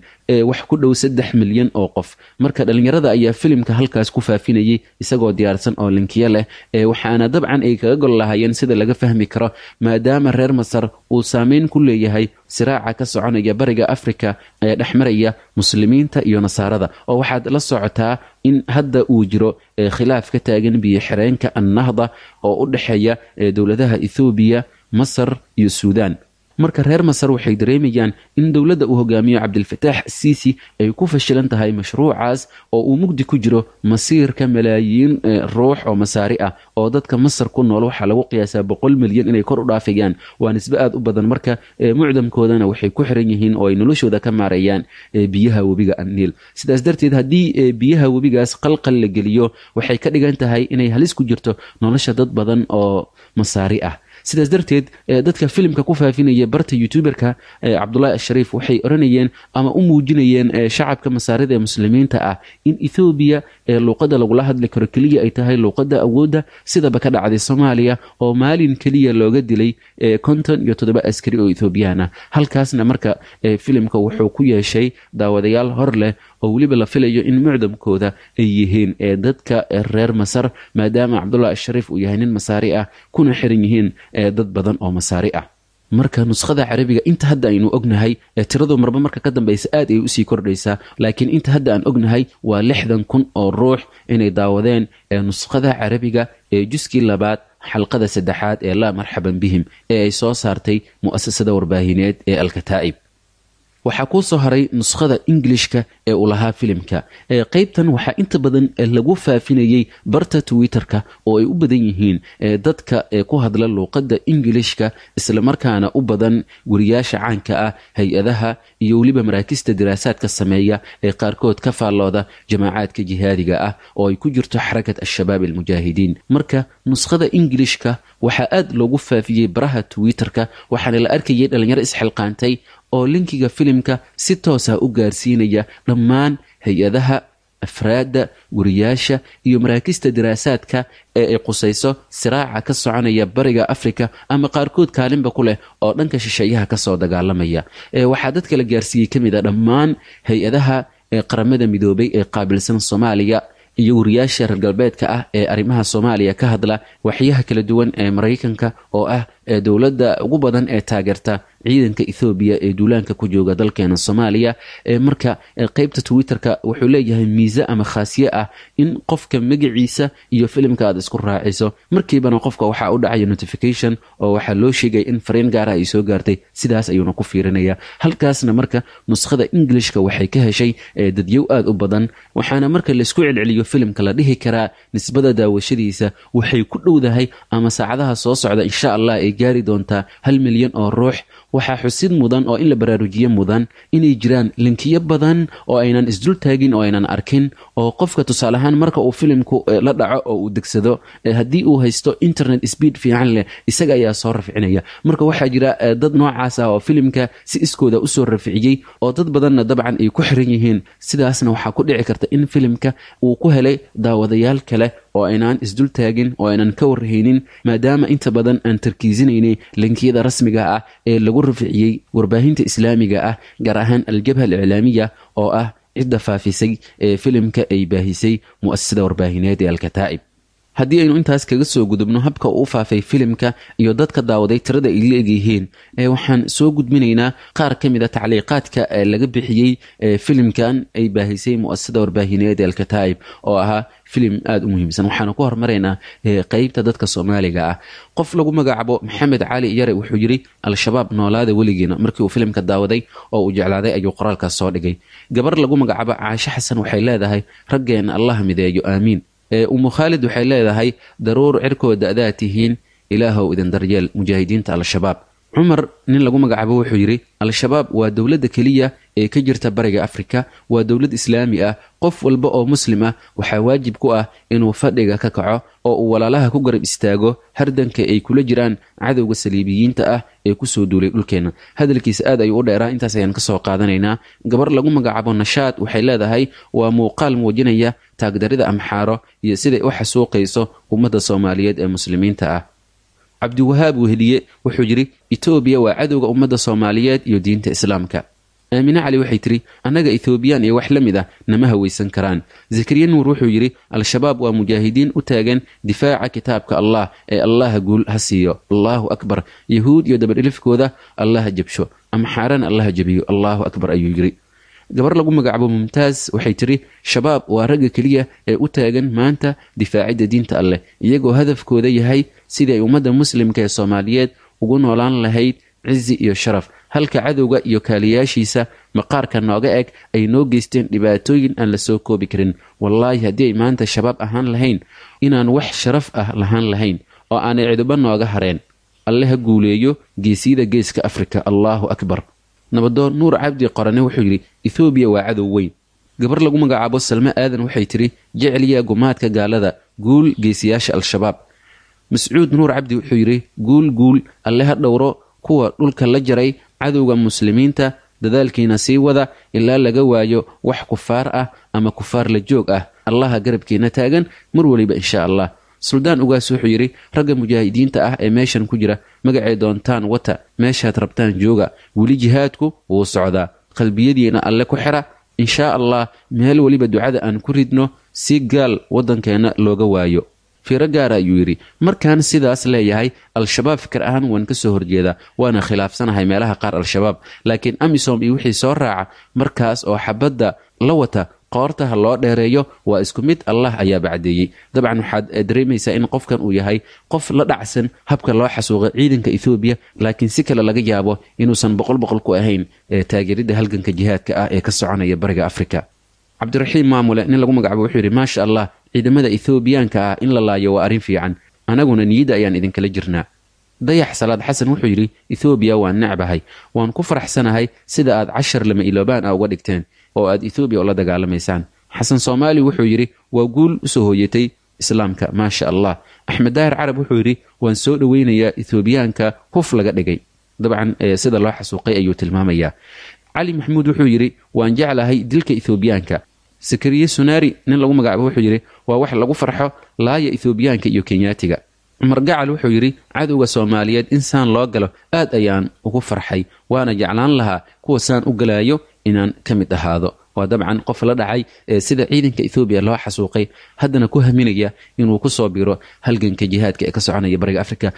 wax ku dhow saddex milyan oo qof. Marka dhalinyarada ayaa filimka halkaas ku faafinayay isagoo diyaarsan oo linkiyo leh, waxaana dabcan ay kaga gol lahaayeen sida laga fahmi karo maadaama reer Masar uu saameyn ku leeyahay siraaca ka soconaya bariga Afrika ee dhexmaraya muslimiinta iyo nasaarada, oo waxaad la socotaa in hadda uu jiro khilaaf ka taagan biyo xireenka Annahda oo u dhexeeya dowladaha Ethoobiya, Masar iyo Suudaan. Marka reer Masar waxay dareemayaan in dowladda uu hogaamiyo Cabdilfataax Siisi ay ku fashilan tahay mashruucaas oo uu mugdi ku jiro masiirka malaayiin ruux oo masaari ah oo dadka Masar ku nool waxaa lagu qiyaasaa boqol milyan inay kor u dhaafayaan, waa nisbe aad u badan. Marka mucdamkoodana waxay ku xiran yihiin oo ay noloshooda ka maareeyaan biyaha webiga Niil. Sidaas darteed haddii biyaha webigaas qalqal la geliyo waxay ka dhigan tahay inay halis ku jirto nolosha dad badan oo masaari ah. Sidaas darteed dadka filimka ku faafinaya barta youtuberka Cabdullaahi Ashariif waxay oranayeen ama u muujinayeen shacabka masaarida ee muslimiinta ah in Ethoobiya ee luuqadda lagula hadli karo keliya ay tahay luuqadda awoodda, sidaba ka dhacday Soomaaliya oo maalin keliya looga dilay konton iyo toddoba askari oo Ethoobiyan ah. Halkaasna marka filimka wuxuu ku yeeshay daawadayaal hor leh oo weliba la filayo in mucdamkooda ay yihiin dadka reer Masar, maadaama Cabdullaahi Ashariif uu yahay nin masaari ah kuna xiran yihiin dad badan oo masaari ah. Marka nuskhada Carabiga inta hadda aynu ognahay tiradu marba marka ka dambaysa aad ay usii kordhaysaa, laakiin inta hadda aan ognahay waa lixdan kun oo ruux inay daawadeen nuskhada Carabiga ee juskii labaad xalqada saddexaad ee Laa Marxaban Bihim ee ay soo saartay mu'asasada warbaahineed ee Alkataa'ib. Waxaa kuu soo haray nuskhada Ingilishka ee uu lahaa filimka. Qaybtan waxaa inta badan lagu faafinayay barta Twitterka oo ay u badan yihiin dadka ku hadla luuqadda Ingilishka, islamarkaana u badan wariyaasha caanka ah, hay-adaha iyo weliba maraakista diraasaadka sameeya ee qaarkood ka faallooda jamaacaadka jihaadiga ah oo ay ku jirto Xarakat Al-Shabaab Almujaahidiin. Marka nuskhada Ingilishka waxaa aad loogu faafiyey baraha Twitterka, waxaana la arkayay dhalinyaro isxilqaantay oo linkiga filimka si toosa u gaarsiinaya dhammaan hay-adaha, afraadda, wariyaasha iyo maraakista diraasaadka ee ay qusayso siraaca ka soconaya bariga Afrika ama qaarkood kaalinba ku leh oo dhanka shisheeyaha kasoo dagaalamaya. Waxaa dadka la gaarsiiyey ka mid a dhammaan hay-adaha qaramada midoobay ee qaabilsan Soomaaliya iyo wariyaasha reer galbeedka ah ee arrimaha Soomaaliya ka hadla, waxyaha kala duwan ee Maraykanka oo ah dowladda ugu badan ee taageerta ciidanka Ethoobiya ee duulaanka ku jooga dalkeena Soomaaliya. Marka qaybta Twitterka wuxuu leeyahay miise ama khaasiye ah in qofka magaciisa iyo filimka aad isku raaciso, markiibana qofka waxaa u dhacaya notification oo waxaa loo sheegaya in fariin gaara ay soo gaartay, sidaas ayuuna ku fiirinaya. Halkaasna marka nuskhada Englishka waxay ka heshay dadyow aad u badan, waxaana marka laisku celceliyo filimka la dhihi karaa nisbada daawashadiisa waxay ku dhowdahay ama saacadaha soo socda insha Allah ay gaari doontaa hal milyan oo ruux. Waxaa xusid mudan oo in la baraarujiye mudan inay jiraan linkiyo badan oo aynan isdul taagin oo aynan arkin, oo qofka tusaale ahaan marka uu filimku la dhaco oo uu degsado, haddii uu haysto internet speed fiican leh isaga ayaa soo rafcinaya. Marka waxaa jira dad noocaas ah oo filimka si iskooda usoo rafciyey oo dad badanna dabcan ay ku xiran yihiin, sidaasna waxaa ku dhici karta in filimka uu ku helay daawadayaal kale oo aynaan isdul taagin oo aynan ka warhaynin, maadaama inta badan aan tarkiisinaynay linkiyada rasmiga ah ee lagu rafciyey warbaahinta islaamiga ah, gaar ahaan Aljabha Aliclaamiya oo ah cidda faafisay ee filimka ay baahisay mu'asasada warbaahineed ee Alkataa'ib. Haddii aynu intaas kaga soo gudubno habka uu u faafay filimka iyo dadka daawaday tirada ay leegyihiin, waxaan soo gudbinaynaa qaar ka mid a tacliiqaadka laga bixiyey filimkan ay baahisay mu'asasada warbaahineed Alkataa'ib, oo ahaa filim aada u muhiimsan. Waxaanu ku hormaraynaa qeybta dadka Soomaaliga ah. Qof lagu magacaabo Maxamed Cali Yare wuxuu yidhi: Al-Shabaab noolaada weligiina. Markii uu filimka daawaday oo uu jeclaaday ayuu qoraalkaas soo dhigay. Gabar lagu magacaabo Caashe Xasan waxay leedahay: Raggeena Allah mideeyo, aamiin. Umu Khaalid waxay leedahay: Daruur cirkooda adaa tihiin, Ilaahow idin daryeel mujaahidiinta Al-Shabaab. Cumar nin lagu magacaabo wuxuu yidhi: Al-Shabaab waa dowladda keliya ee ka jirta Bariga Afrika, waa dowlad islaami ah. Qof walba oo muslim ah waxaa waajib ku ah inuu fadhiga ka kaco oo uu walaalaha ku garab istaago hardanka ay kula jiraan cadowga saliibiyiinta ah ee kusoo duulay dhulkeenna. Hadalkiisa aad ayuu u dheeraa, intaas ayaan kasoo qaadanaynaa. Gabar lagu magacaabo Nashaad waxay leedahay: Waa muuqaal muujinaya taagdarida Amxaaro iyo siday u xasuuqayso ummadda Soomaaliyeed ee muslimiinta ah. Cabdiwahaab Weheliye wuxuu yidhi: Etoobiya waa cadowga ummadda Soomaaliyeed iyo diinta Islaamka. Aamine Cali waxay tidhi: Annaga Ethoobiyan iyo wax la mid ah nama hawaysan karaan. Zakariya Nuur wuxuu yidhi: Al-Shabaab waa mujaahidiin u taagan difaaca kitaabka Allah ee Allaha guul ha siiyo. Allahu akbar. Yahuud iyo dabadhilifkooda Allaha jabsho, Amxaarana Allaha jabiyo. Allahu akbar, ayuu yidhi. Gabar lagu magacaabo Mumtaaz waxay tidhi: Shabaab waa ragga keliya ee u taagan maanta difaacidda diinta Alleh, iyagoo hadafkooda yahay sidii ay ummadda muslimka ee Soomaaliyeed ugu noolaan lahayd cizi iyo sharaf, halka cadowga iyo kaaliyaashiisa maqaarka nooga eg ay noo geysteen dhibaatooyin aan la soo koobi karin. Wallaahi, haddii ay maanta Shabaab ahaan lahayn, inaan wax sharaf ah lahaan lahayn oo aanay ciduba nooga hareen. Alle ha guuleeyo geesiyada Geeska Afrika. Allahu akbar. Nabadoon Nuur Cabdi Qorane wuxuu yidhi: Ethoobiya waa cadow weyn. Gabar lagu magacaabo Salme Aadan waxay tidhi: Jecliya gumaadka gaalada, guul geesiyaasha Al-Shabaab. Mascuud Nuur Cabdi wuxuu yidhi: Guul, guul. Alle ha dhowro kuwa dhulka la jaray cadowga muslimiinta. Dadaalkiina sii wada ilaa laga waayo wax kufaar ah ama kufaar la joog ah. Allaha garabkiina taagan mar weliba, insha Allah. Suldaan Ugaas wuxuu yidhi: Ragga mujaahidiinta ah ee meeshan ku jira, magacay doontaan wata, meeshaad rabtaan jooga, weli jihaadku wuu socdaa. Qalbiyadiina Alle ku xira, inshaa Allah. Meel weliba ducada aan ku ridno si gaal waddankeenna looga waayo. Fiiro gaara, ayuu yidhi. Markaan sidaas leeyahay, Al-Shabaab fikir ahaan waan ka soo horjeedaa, waana khilaafsanahay meelaha qaar Al-Shabaab, laakiin AMISOM iyo wixii soo raaca markaas oo xabadda la wata, qoorta ha loo dheereeyo, waa isku mid, Allah ayaa bacdeeyey. Dabcan waxaad dareemaysaa in qofkan uu yahay qof la dhacsan habka loo xasuuqay ciidanka Ethoobiya, laakiin si kale laga yaabo inuusan boqol boqol ku ahayn taageeridda halganka jihaadka ah ee ka soconaya Bariga Afrika. Cabdiraxiim Maamule nin lagu magacaabo wuxuu yidhi: Maasha Allah, ciidamada Ethoobiyaanka ah in la laayo waa arrin fiican, anaguna niyadda ayaan idinkala jirnaa. Dayax Salaad Xasan wuxuu yidhi: Ethoobiya waan necbahay, waan ku faraxsanahay sida aad cashar lama iloobaan ah uga dhigteen oo aad Ethoobiya ula dagaalamaysaan. Xasan Soomaali wuxuu yidhi: Waa guul usoo hooyatay Islaamka, maasha Allah. Axmed Daahir Carab wuxuu yidhi: Waan soo dhoweynayaa Ethoobiyaanka huf laga dhigay. Dabcan sida loo xasuuqay ayuu tilmaamayaa. Cali Maxamuud wuxuu yidhi: Waan jeclahay dilka Ethoobiyaanka. Sakariye Sunaari nin lagu magacaabo wuxuu yidhi: Waa wax lagu farxo, laaya Ethoobiyaanka iyo Kenyaatiga. Cumar Gacal wuxuu yidhi: Cadowga Soomaaliyeed in saan loo galo aad ayaan ugu farxay, waana jeclaan lahaa kuwa saan u galaayo inaan ka mid ahaado. Waa dabcan qof la dhacay sida ciidanka Ethoobiya loo xasuuqay, haddana ku haminaya inuu kusoo biro halganka jihaadka ee ka soconaya Bariga Afrika.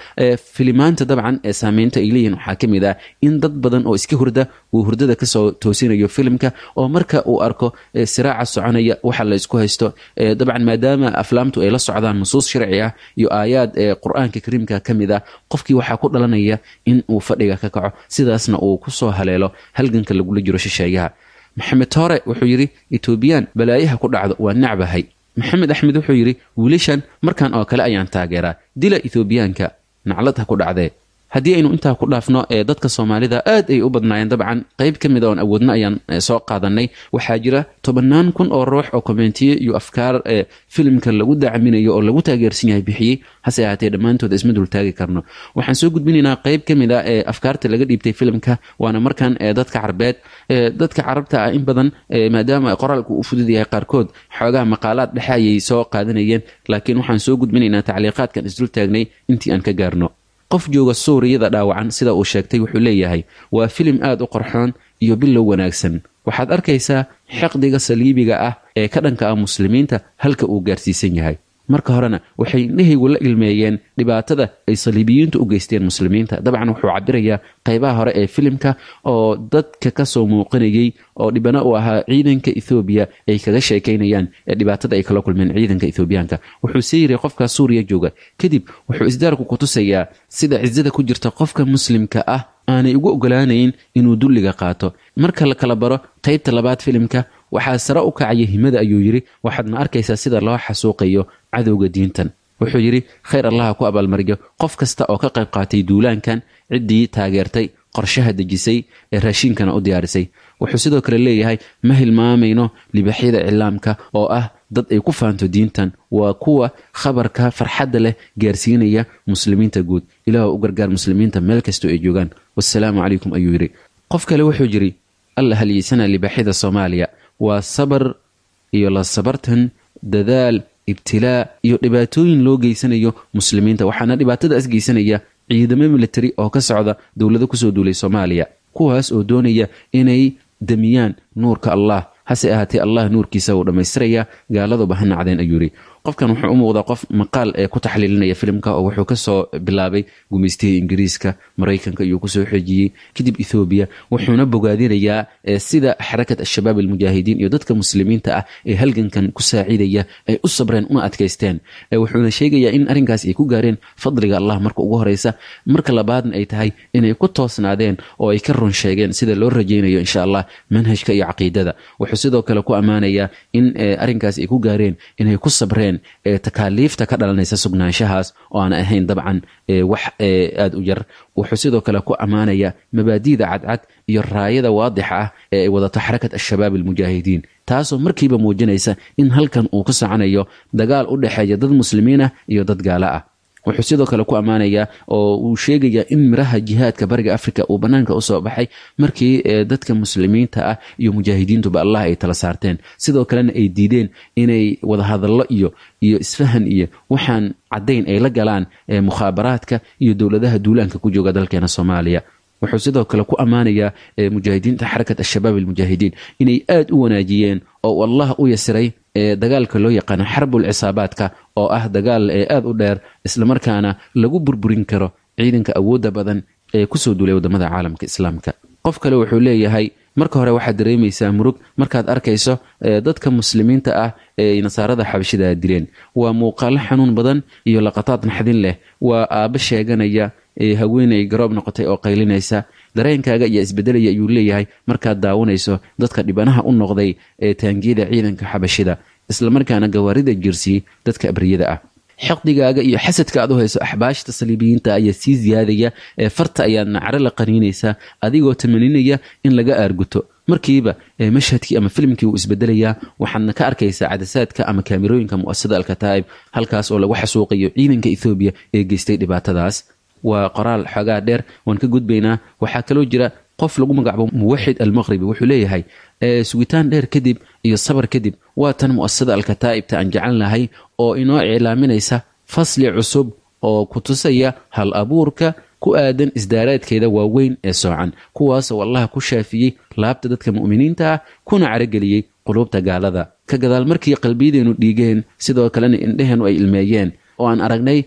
Filimaanta dabcan ee saameynta ay leeyihin waxaa ka mid ah in dad badan oo iska hurda uu hurdada kasoo toosinayo filimka, oo marka uu arko siraaca soconaya, waxa la isku haysto. Dabcan maadaama aflaamtu ay la socdaan nusuus sharci ah iyo aayaad ee Qur-aanka Kariimka ka mid ah, qofkii waxaa ku dhalanaya in uu fadhiga ka kaco, sidaasna uu kusoo haleelo halganka lagula jiro shisheeyaha. Maxamed Toore wuxuu yidhi: Etoobiyaan balaayaha ku dhacdo, waa nacbahay. Maxamed Axmed wuxuu yidhi: Wiilashan markan oo kale ayaan taageeraa, dila Ethoobiyaanka, naclad ha ku dhacdee. Haddii aynu intaa ku dhaafno ee dadka Soomaalida, aad ay u badnaayeen. Dabcan qayb ka mid a oon awoodno ayaan soo qaadanay. Waxaa jira tobannaan kun oo ruux oo kommentiye iyo afkaar ee filimka lagu dacminayo oo lagu taageersan yahay bixiyey. Hase ahaatee dhammaantooda isma dultaagi karno. Waxaan soo gudbinaynaa qayb ka mid a ee afkaarta laga dhiibtay filimka, waana markan ee dadka Carbeed. Dadka Carabta ah in badan, maadaama qoraalku u fudud yahay, qaarkood xoogaha maqaalaad dhexe ayay soo qaadanayeen, laakiin waxaan soo gudbinaynaa tacliiqaadkan isdultaagnay intii aan ka gaarno. Qof jooga Suuriyada dhaawacan sida uu sheegtay wuxuu leeyahay: Waa filim aad u qorxoon iyo bilow wanaagsan. Waxaad arkaysaa xiqdiga saliibiga ah ee ka dhanka ah muslimiinta halka uu gaarsiisan yahay. Marka horena waxay indhahaygu la ilmeeyeen dhibaatada ay saliibiyiintu u geysteen muslimiinta. Dabcan wuxuu cabirayaa qaybaha hore ee filimka oo dadka kasoo muuqanayay oo dhibano u ahaa ciidanka Ethoobiya ay kaga sheekaynayaan dhibaatada ay kala kulmeen ciidanka Ethoobiyaanka. Wuxuu sii yiri qofka Suuriya jooga. Kadib wuxuu isdaarku ku tusayaa sida cizada ku jirta qofka muslimka ah aanay ugu ogolaanayn inuu dulliga qaato. Marka la kala baro qaybta labaad filimka waxaa sare u kacaya himada, ayuu yiri, waxaadna arkaysaa sida loo xasuuqayo cadowga diintan. Wuxuu yiri khayr allaha ku abaalmariyo qof kasta oo ka qayb qaatay duulaankan, ciddii taageertay, qorshaha dejisay, ee raashinkana u diyaarisay. Wuxuu sidoo kale leeyahay ma hilmaamayno libaxyada cilaamka oo ah dad ay ku faanto diintan, waa kuwa khabarka farxadda leh gaarsiinaya muslimiinta guud. Ilaah u gargaar muslimiinta meel kastoo ay joogaan. Wassalaamu calaykum, ayuu yiri. Qof kale wuxuu yiri alla halyeysana libaxyada Soomaaliya, waa sabar iyo la sabartan, dadaal, ibtilaa iyo dhibaatooyin loo geysanayo muslimiinta. Waxaana dhibaatadaas geysanaya ciidamo military oo ka socda dowlado kusoo duulay Soomaaliya, kuwaas oo doonaya inay damiyaan nuurka Allah. Hase ahaatee Allah nuurkiisa uu dhammaystiraya, gaaladuba ha nacdeen, ayuu yiri. Qofkan wuxuu u muuqdaa qof maqaal ee ku taxliilinaya filimka oo wuxuu kasoo bilaabay gumaystihii Ingiriiska, Maraykanka iyuu kusoo xejiyey, kadib Ethoobiya. Wuxuuna bogaadinayaa sida xarakat al-shabaab almujaahidiin iyo dadka muslimiinta ah ee halgankan ku saacidaya ay u sabreen una adkaysteen. Wuxuuna sheegayaa in arrinkaas ay ku gaareen fadliga Allah marka ugu horeysa, marka labaadna ay tahay inay ku toosnaadeen oo ay ka run sheegeen sida loo rajaynayo insha Allah manhajka iyo caqiidada. Wuxuu sidoo kale ku ammaanayaa in arrinkaas ay ku gaareen inay ku sabreen takaaliifta ka dhalanaysa sugnaanshahaas oo aan ahayn dabcan wax aad u yar. Wuxuu sidoo kale ku ammaanayaa mabaadi'da cadcad iyo raayada waadixa ah ee ay wadato xarakat al-shabaab almujaahidiin, taasoo markiiba muujinaysa in halkan uu ka soconayo dagaal u dhexeeya dad muslimiin ah iyo dad gaalo ah. Wuxuu sidoo kale ku ammaanayaa oo uu sheegayaa in miraha jihaadka bariga Afrika uu banaanka usoo baxay markii dadka muslimiinta ah iyo mujaahidiintuba Allah ay tala saarteen, sidoo kalena ay diideen inay wadahadallo iyo iyo isfahan iyo waxaan caddayn ay la galaan mukhaabaraadka iyo dowladaha duulaanka ku jooga dalkeena Soomaaliya. Wuxuu sidoo kale ku ammaanayaa mujaahidiinta xarakat al-shabaab almujaahidiin inay aad u wanaajiyeen oo Allah u yasiray dagaalka loo yaqaano xarbul cisaabaadka oo ah dagaal aad u dheer islamarkaana lagu burburin karo ciidanka awoodda badan ee kusoo duulay wadamada caalamka islaamka. Qof kale wuxuu leeyahay marka hore waxaad dareemaysaa murug markaad arkayso dadka muslimiinta ah ee nasaarada xabashida dileen. Waa muuqaalo xanuun badan iyo laqataad naxdin leh. Waa aabbo sheeganaya haweeney garoob noqotay oo qaylinaysa. Dareenkaaga ayaa isbedelaya, ayuu leeyahay, markaad daawanayso dadka dhibanaha u noqday ee taangiyada ciidanka xabashida, islamarkaana gawaarida jirsiyey dadka abriyada ah. Xaqdigaaga iyo xasadka aad u hayso axbaashta saliibiyiinta ayaa sii ziyaadaya, ee farta ayaad nacro la qaniinaysaa adigoo tamaninaya in laga aarguto. Markiiba mashhadkii ama filimkii wuu isbedelayaa, waxaadna ka arkaysaa cadasaadka ama kaamirooyinka mu'asasada Alkataa'ib, halkaas oo lagu xasuuqayo ciidanka Ethoobiya ee geystay dhibaatadaas. Waa qoraal xoogaa dheer, waan ka gudbaynaa. Waxaa kaloo jira qof lagu magacaabo Muwaxid Almaqribi. Wuxuu leeyahay sugitaan dheer kadib iyo sabar kadib waa tan mu'asasada Alkataa'ibta aan jecel lahay oo inoo iclaaminaysa fasli cusub oo ku tusaya hal abuurka ku aadan isdaaraadkeeda waaweyn ee soocan, kuwaasoo Allah ku shaafiyey laabta dadka mu'miniinta ah kuna carageliyey quluubta gaalada. Ka gadaal markii qalbiyadeenu dhiigeen, sidoo kalena indheheennu ay ilmeeyeen oo aan aragnay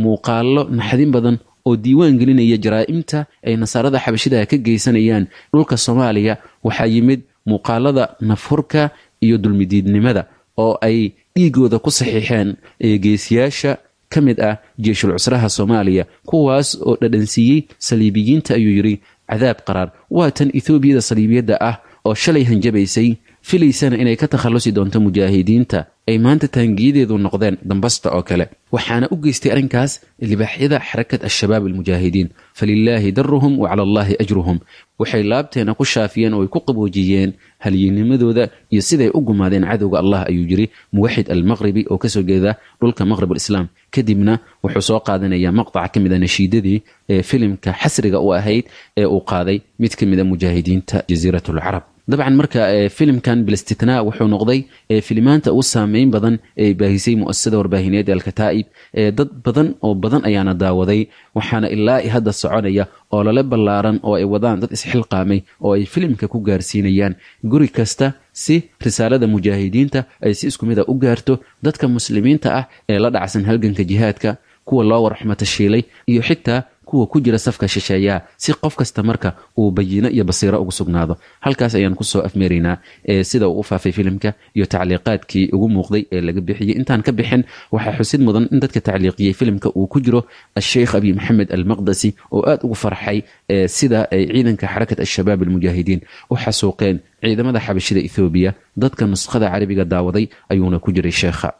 muuqaallo naxdin badan oo diiwaan gelinaya jaraa'imta ay nasaarada xabashida ka geysanayaan dhulka Soomaaliya, waxaa yimid muuqaalada nafhurka iyo dulmidiidnimada oo ay dhiigooda ku saxiixeen geesiyaasha ka mid ah jeeshul cusraha Soomaaliya, kuwaas oo dhadhansiiyey saliibiyiinta, ayuu yiri, cadaab qaraar. Waa tan Ethoobiyada saliibiyadda ah oo shalay hanjabaysay, filaysana inay ka takhalusi doonto mujaahidiinta, ay maanta taangiyadeedu noqdeen dambasta oo kale. Waxaana u geystay arrinkaas libaaxyada xarakat al-shabaab almujaahidiin. Falilaahi daruhum wa cala allaahi ajruhum. Waxay laabteena ku shaafiyeen oo ay ku qaboojiyeen halyinimadooda iyo siday u gumaadeen cadowga Allah, ayuu yiri Muwaxid Almaqribi oo kasoo jeeda dhulka Maqrib alislaam. Kadibna wuxuu soo qaadanayaa maqtac ka mid a nashiidadii ee filimka xasriga u ahayd ee uu qaaday mid ka mid a mujaahidiinta Jasiiratul Carab. Dabcan marka filimkan bilistitnaa wuxuu noqday filimaanta ugu saameyn badan ee baahisay mu'asasada warbaahineed ee Alkataa'ib. Dad badan oo badan ayaana daawaday, waxaana ilaa hadda soconaya olole ballaaran oo ay wadaan dad isxilqaamay oo ay filimka ku gaarsiinayaan guri kasta Si risaalada mujaahidiinta ay si isku mid a u gaarto dadka muslimiinta ah ee la dhacsan halganka jihaadka, kuwa loo warxumatashiilay iyo xitaa kuwa ku jira safka shisheeyaha, si qof kasta marka uu bayino iyo basiiro ugu sugnaado. Halkaas ayaan kusoo afmeeraynaa ee sida uu u faafay filimka iyo tacliiqaadkii ugu muuqday ee laga bixiyey. Intaan ka bixin, waxaa xusid mudan in dadka tacliiqiyey filimka uu ku jiro Asheikh Abi Maxamed Almaqdasi oo aad ugu farxay ee sida ay ciidanka Xarakat Al-Shabaab Almujaahidiin u xasuuqeen ciidamada xabashida Ethoobiya. Dadka nuskhada carabiga daawaday ayuuna ku jiray sheekha.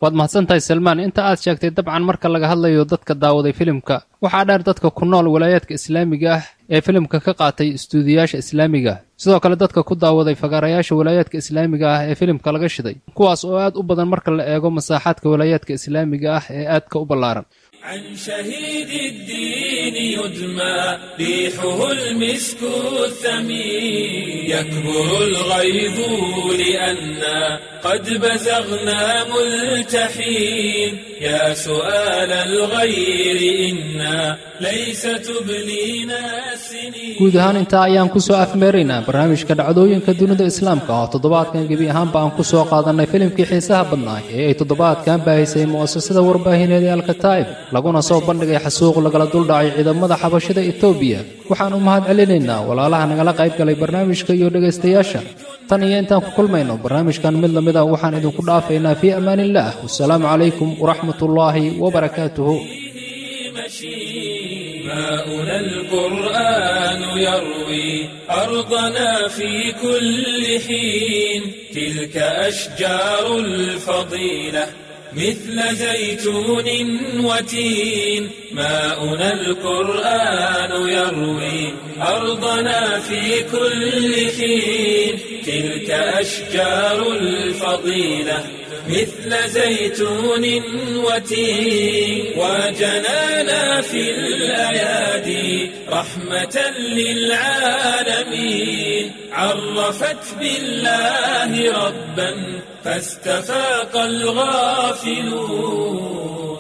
Waad mahadsantahay, Salmaan. Inta aad sheegtay dabcan marka laga hadlayo dadka daawaday filimka, waxaa dheer dadka ku nool walaayaadka islaamiga ah ee filimka ka qaatay istuudiyaasha islaamiga, sidoo kale dadka ku daawaday fagaarayaasha walaayaadka islaamiga ah ee filimka laga shiday, kuwaas oo aad u badan marka la eego masaaxaadka walaayaadka islaamiga ah ee aadka u ballaaran. عن شهيد الدين يدمى ريحه المسك الثمين، يكبر الغيظ لأنا قد بزغنا ملتحين. يا سؤال الغير إنا ليس تبلينا السنين. Guud ahaan intaa ayaan ku soo afmeeraynaa barnaamijka dhacdooyinka dunida islaamka oo toddobaadkan gebi ahaanba aan ku soo qaadannay filimkii xiisaha badnaa ee ay toddobaadkan baahisay mu'asasada warbaahineed ee Alkataa'ib, laguna soo bandhigay xasuuq lagala duldhacay ciidamada xabashida Etoobiya. Waxaan u mahad celinaynaa walaalaha nagala qayb galay barnaamijka iyo dhegaystayaasha. Tan iyo intaan ku kulmayno barnaamijkan mid lamid ah, waxaan idinku dhaafaynaa fii amaaniillaah. Wasalaamu calaykum waraxmatullaahi wabarakaatuhu. ماؤنا القرآن يروي أرضنا في كل حين، تلك أشجار الفضيلة مثل زيتون وتين. ماؤنا القرآن يروي أرضنا في كل حين، تلك أشجار الفضيلة مثل زيتون وتين. وجنانا في الأيادي رحمة للعالمين، عرفت بالله ربا فاستفاق الغافلون.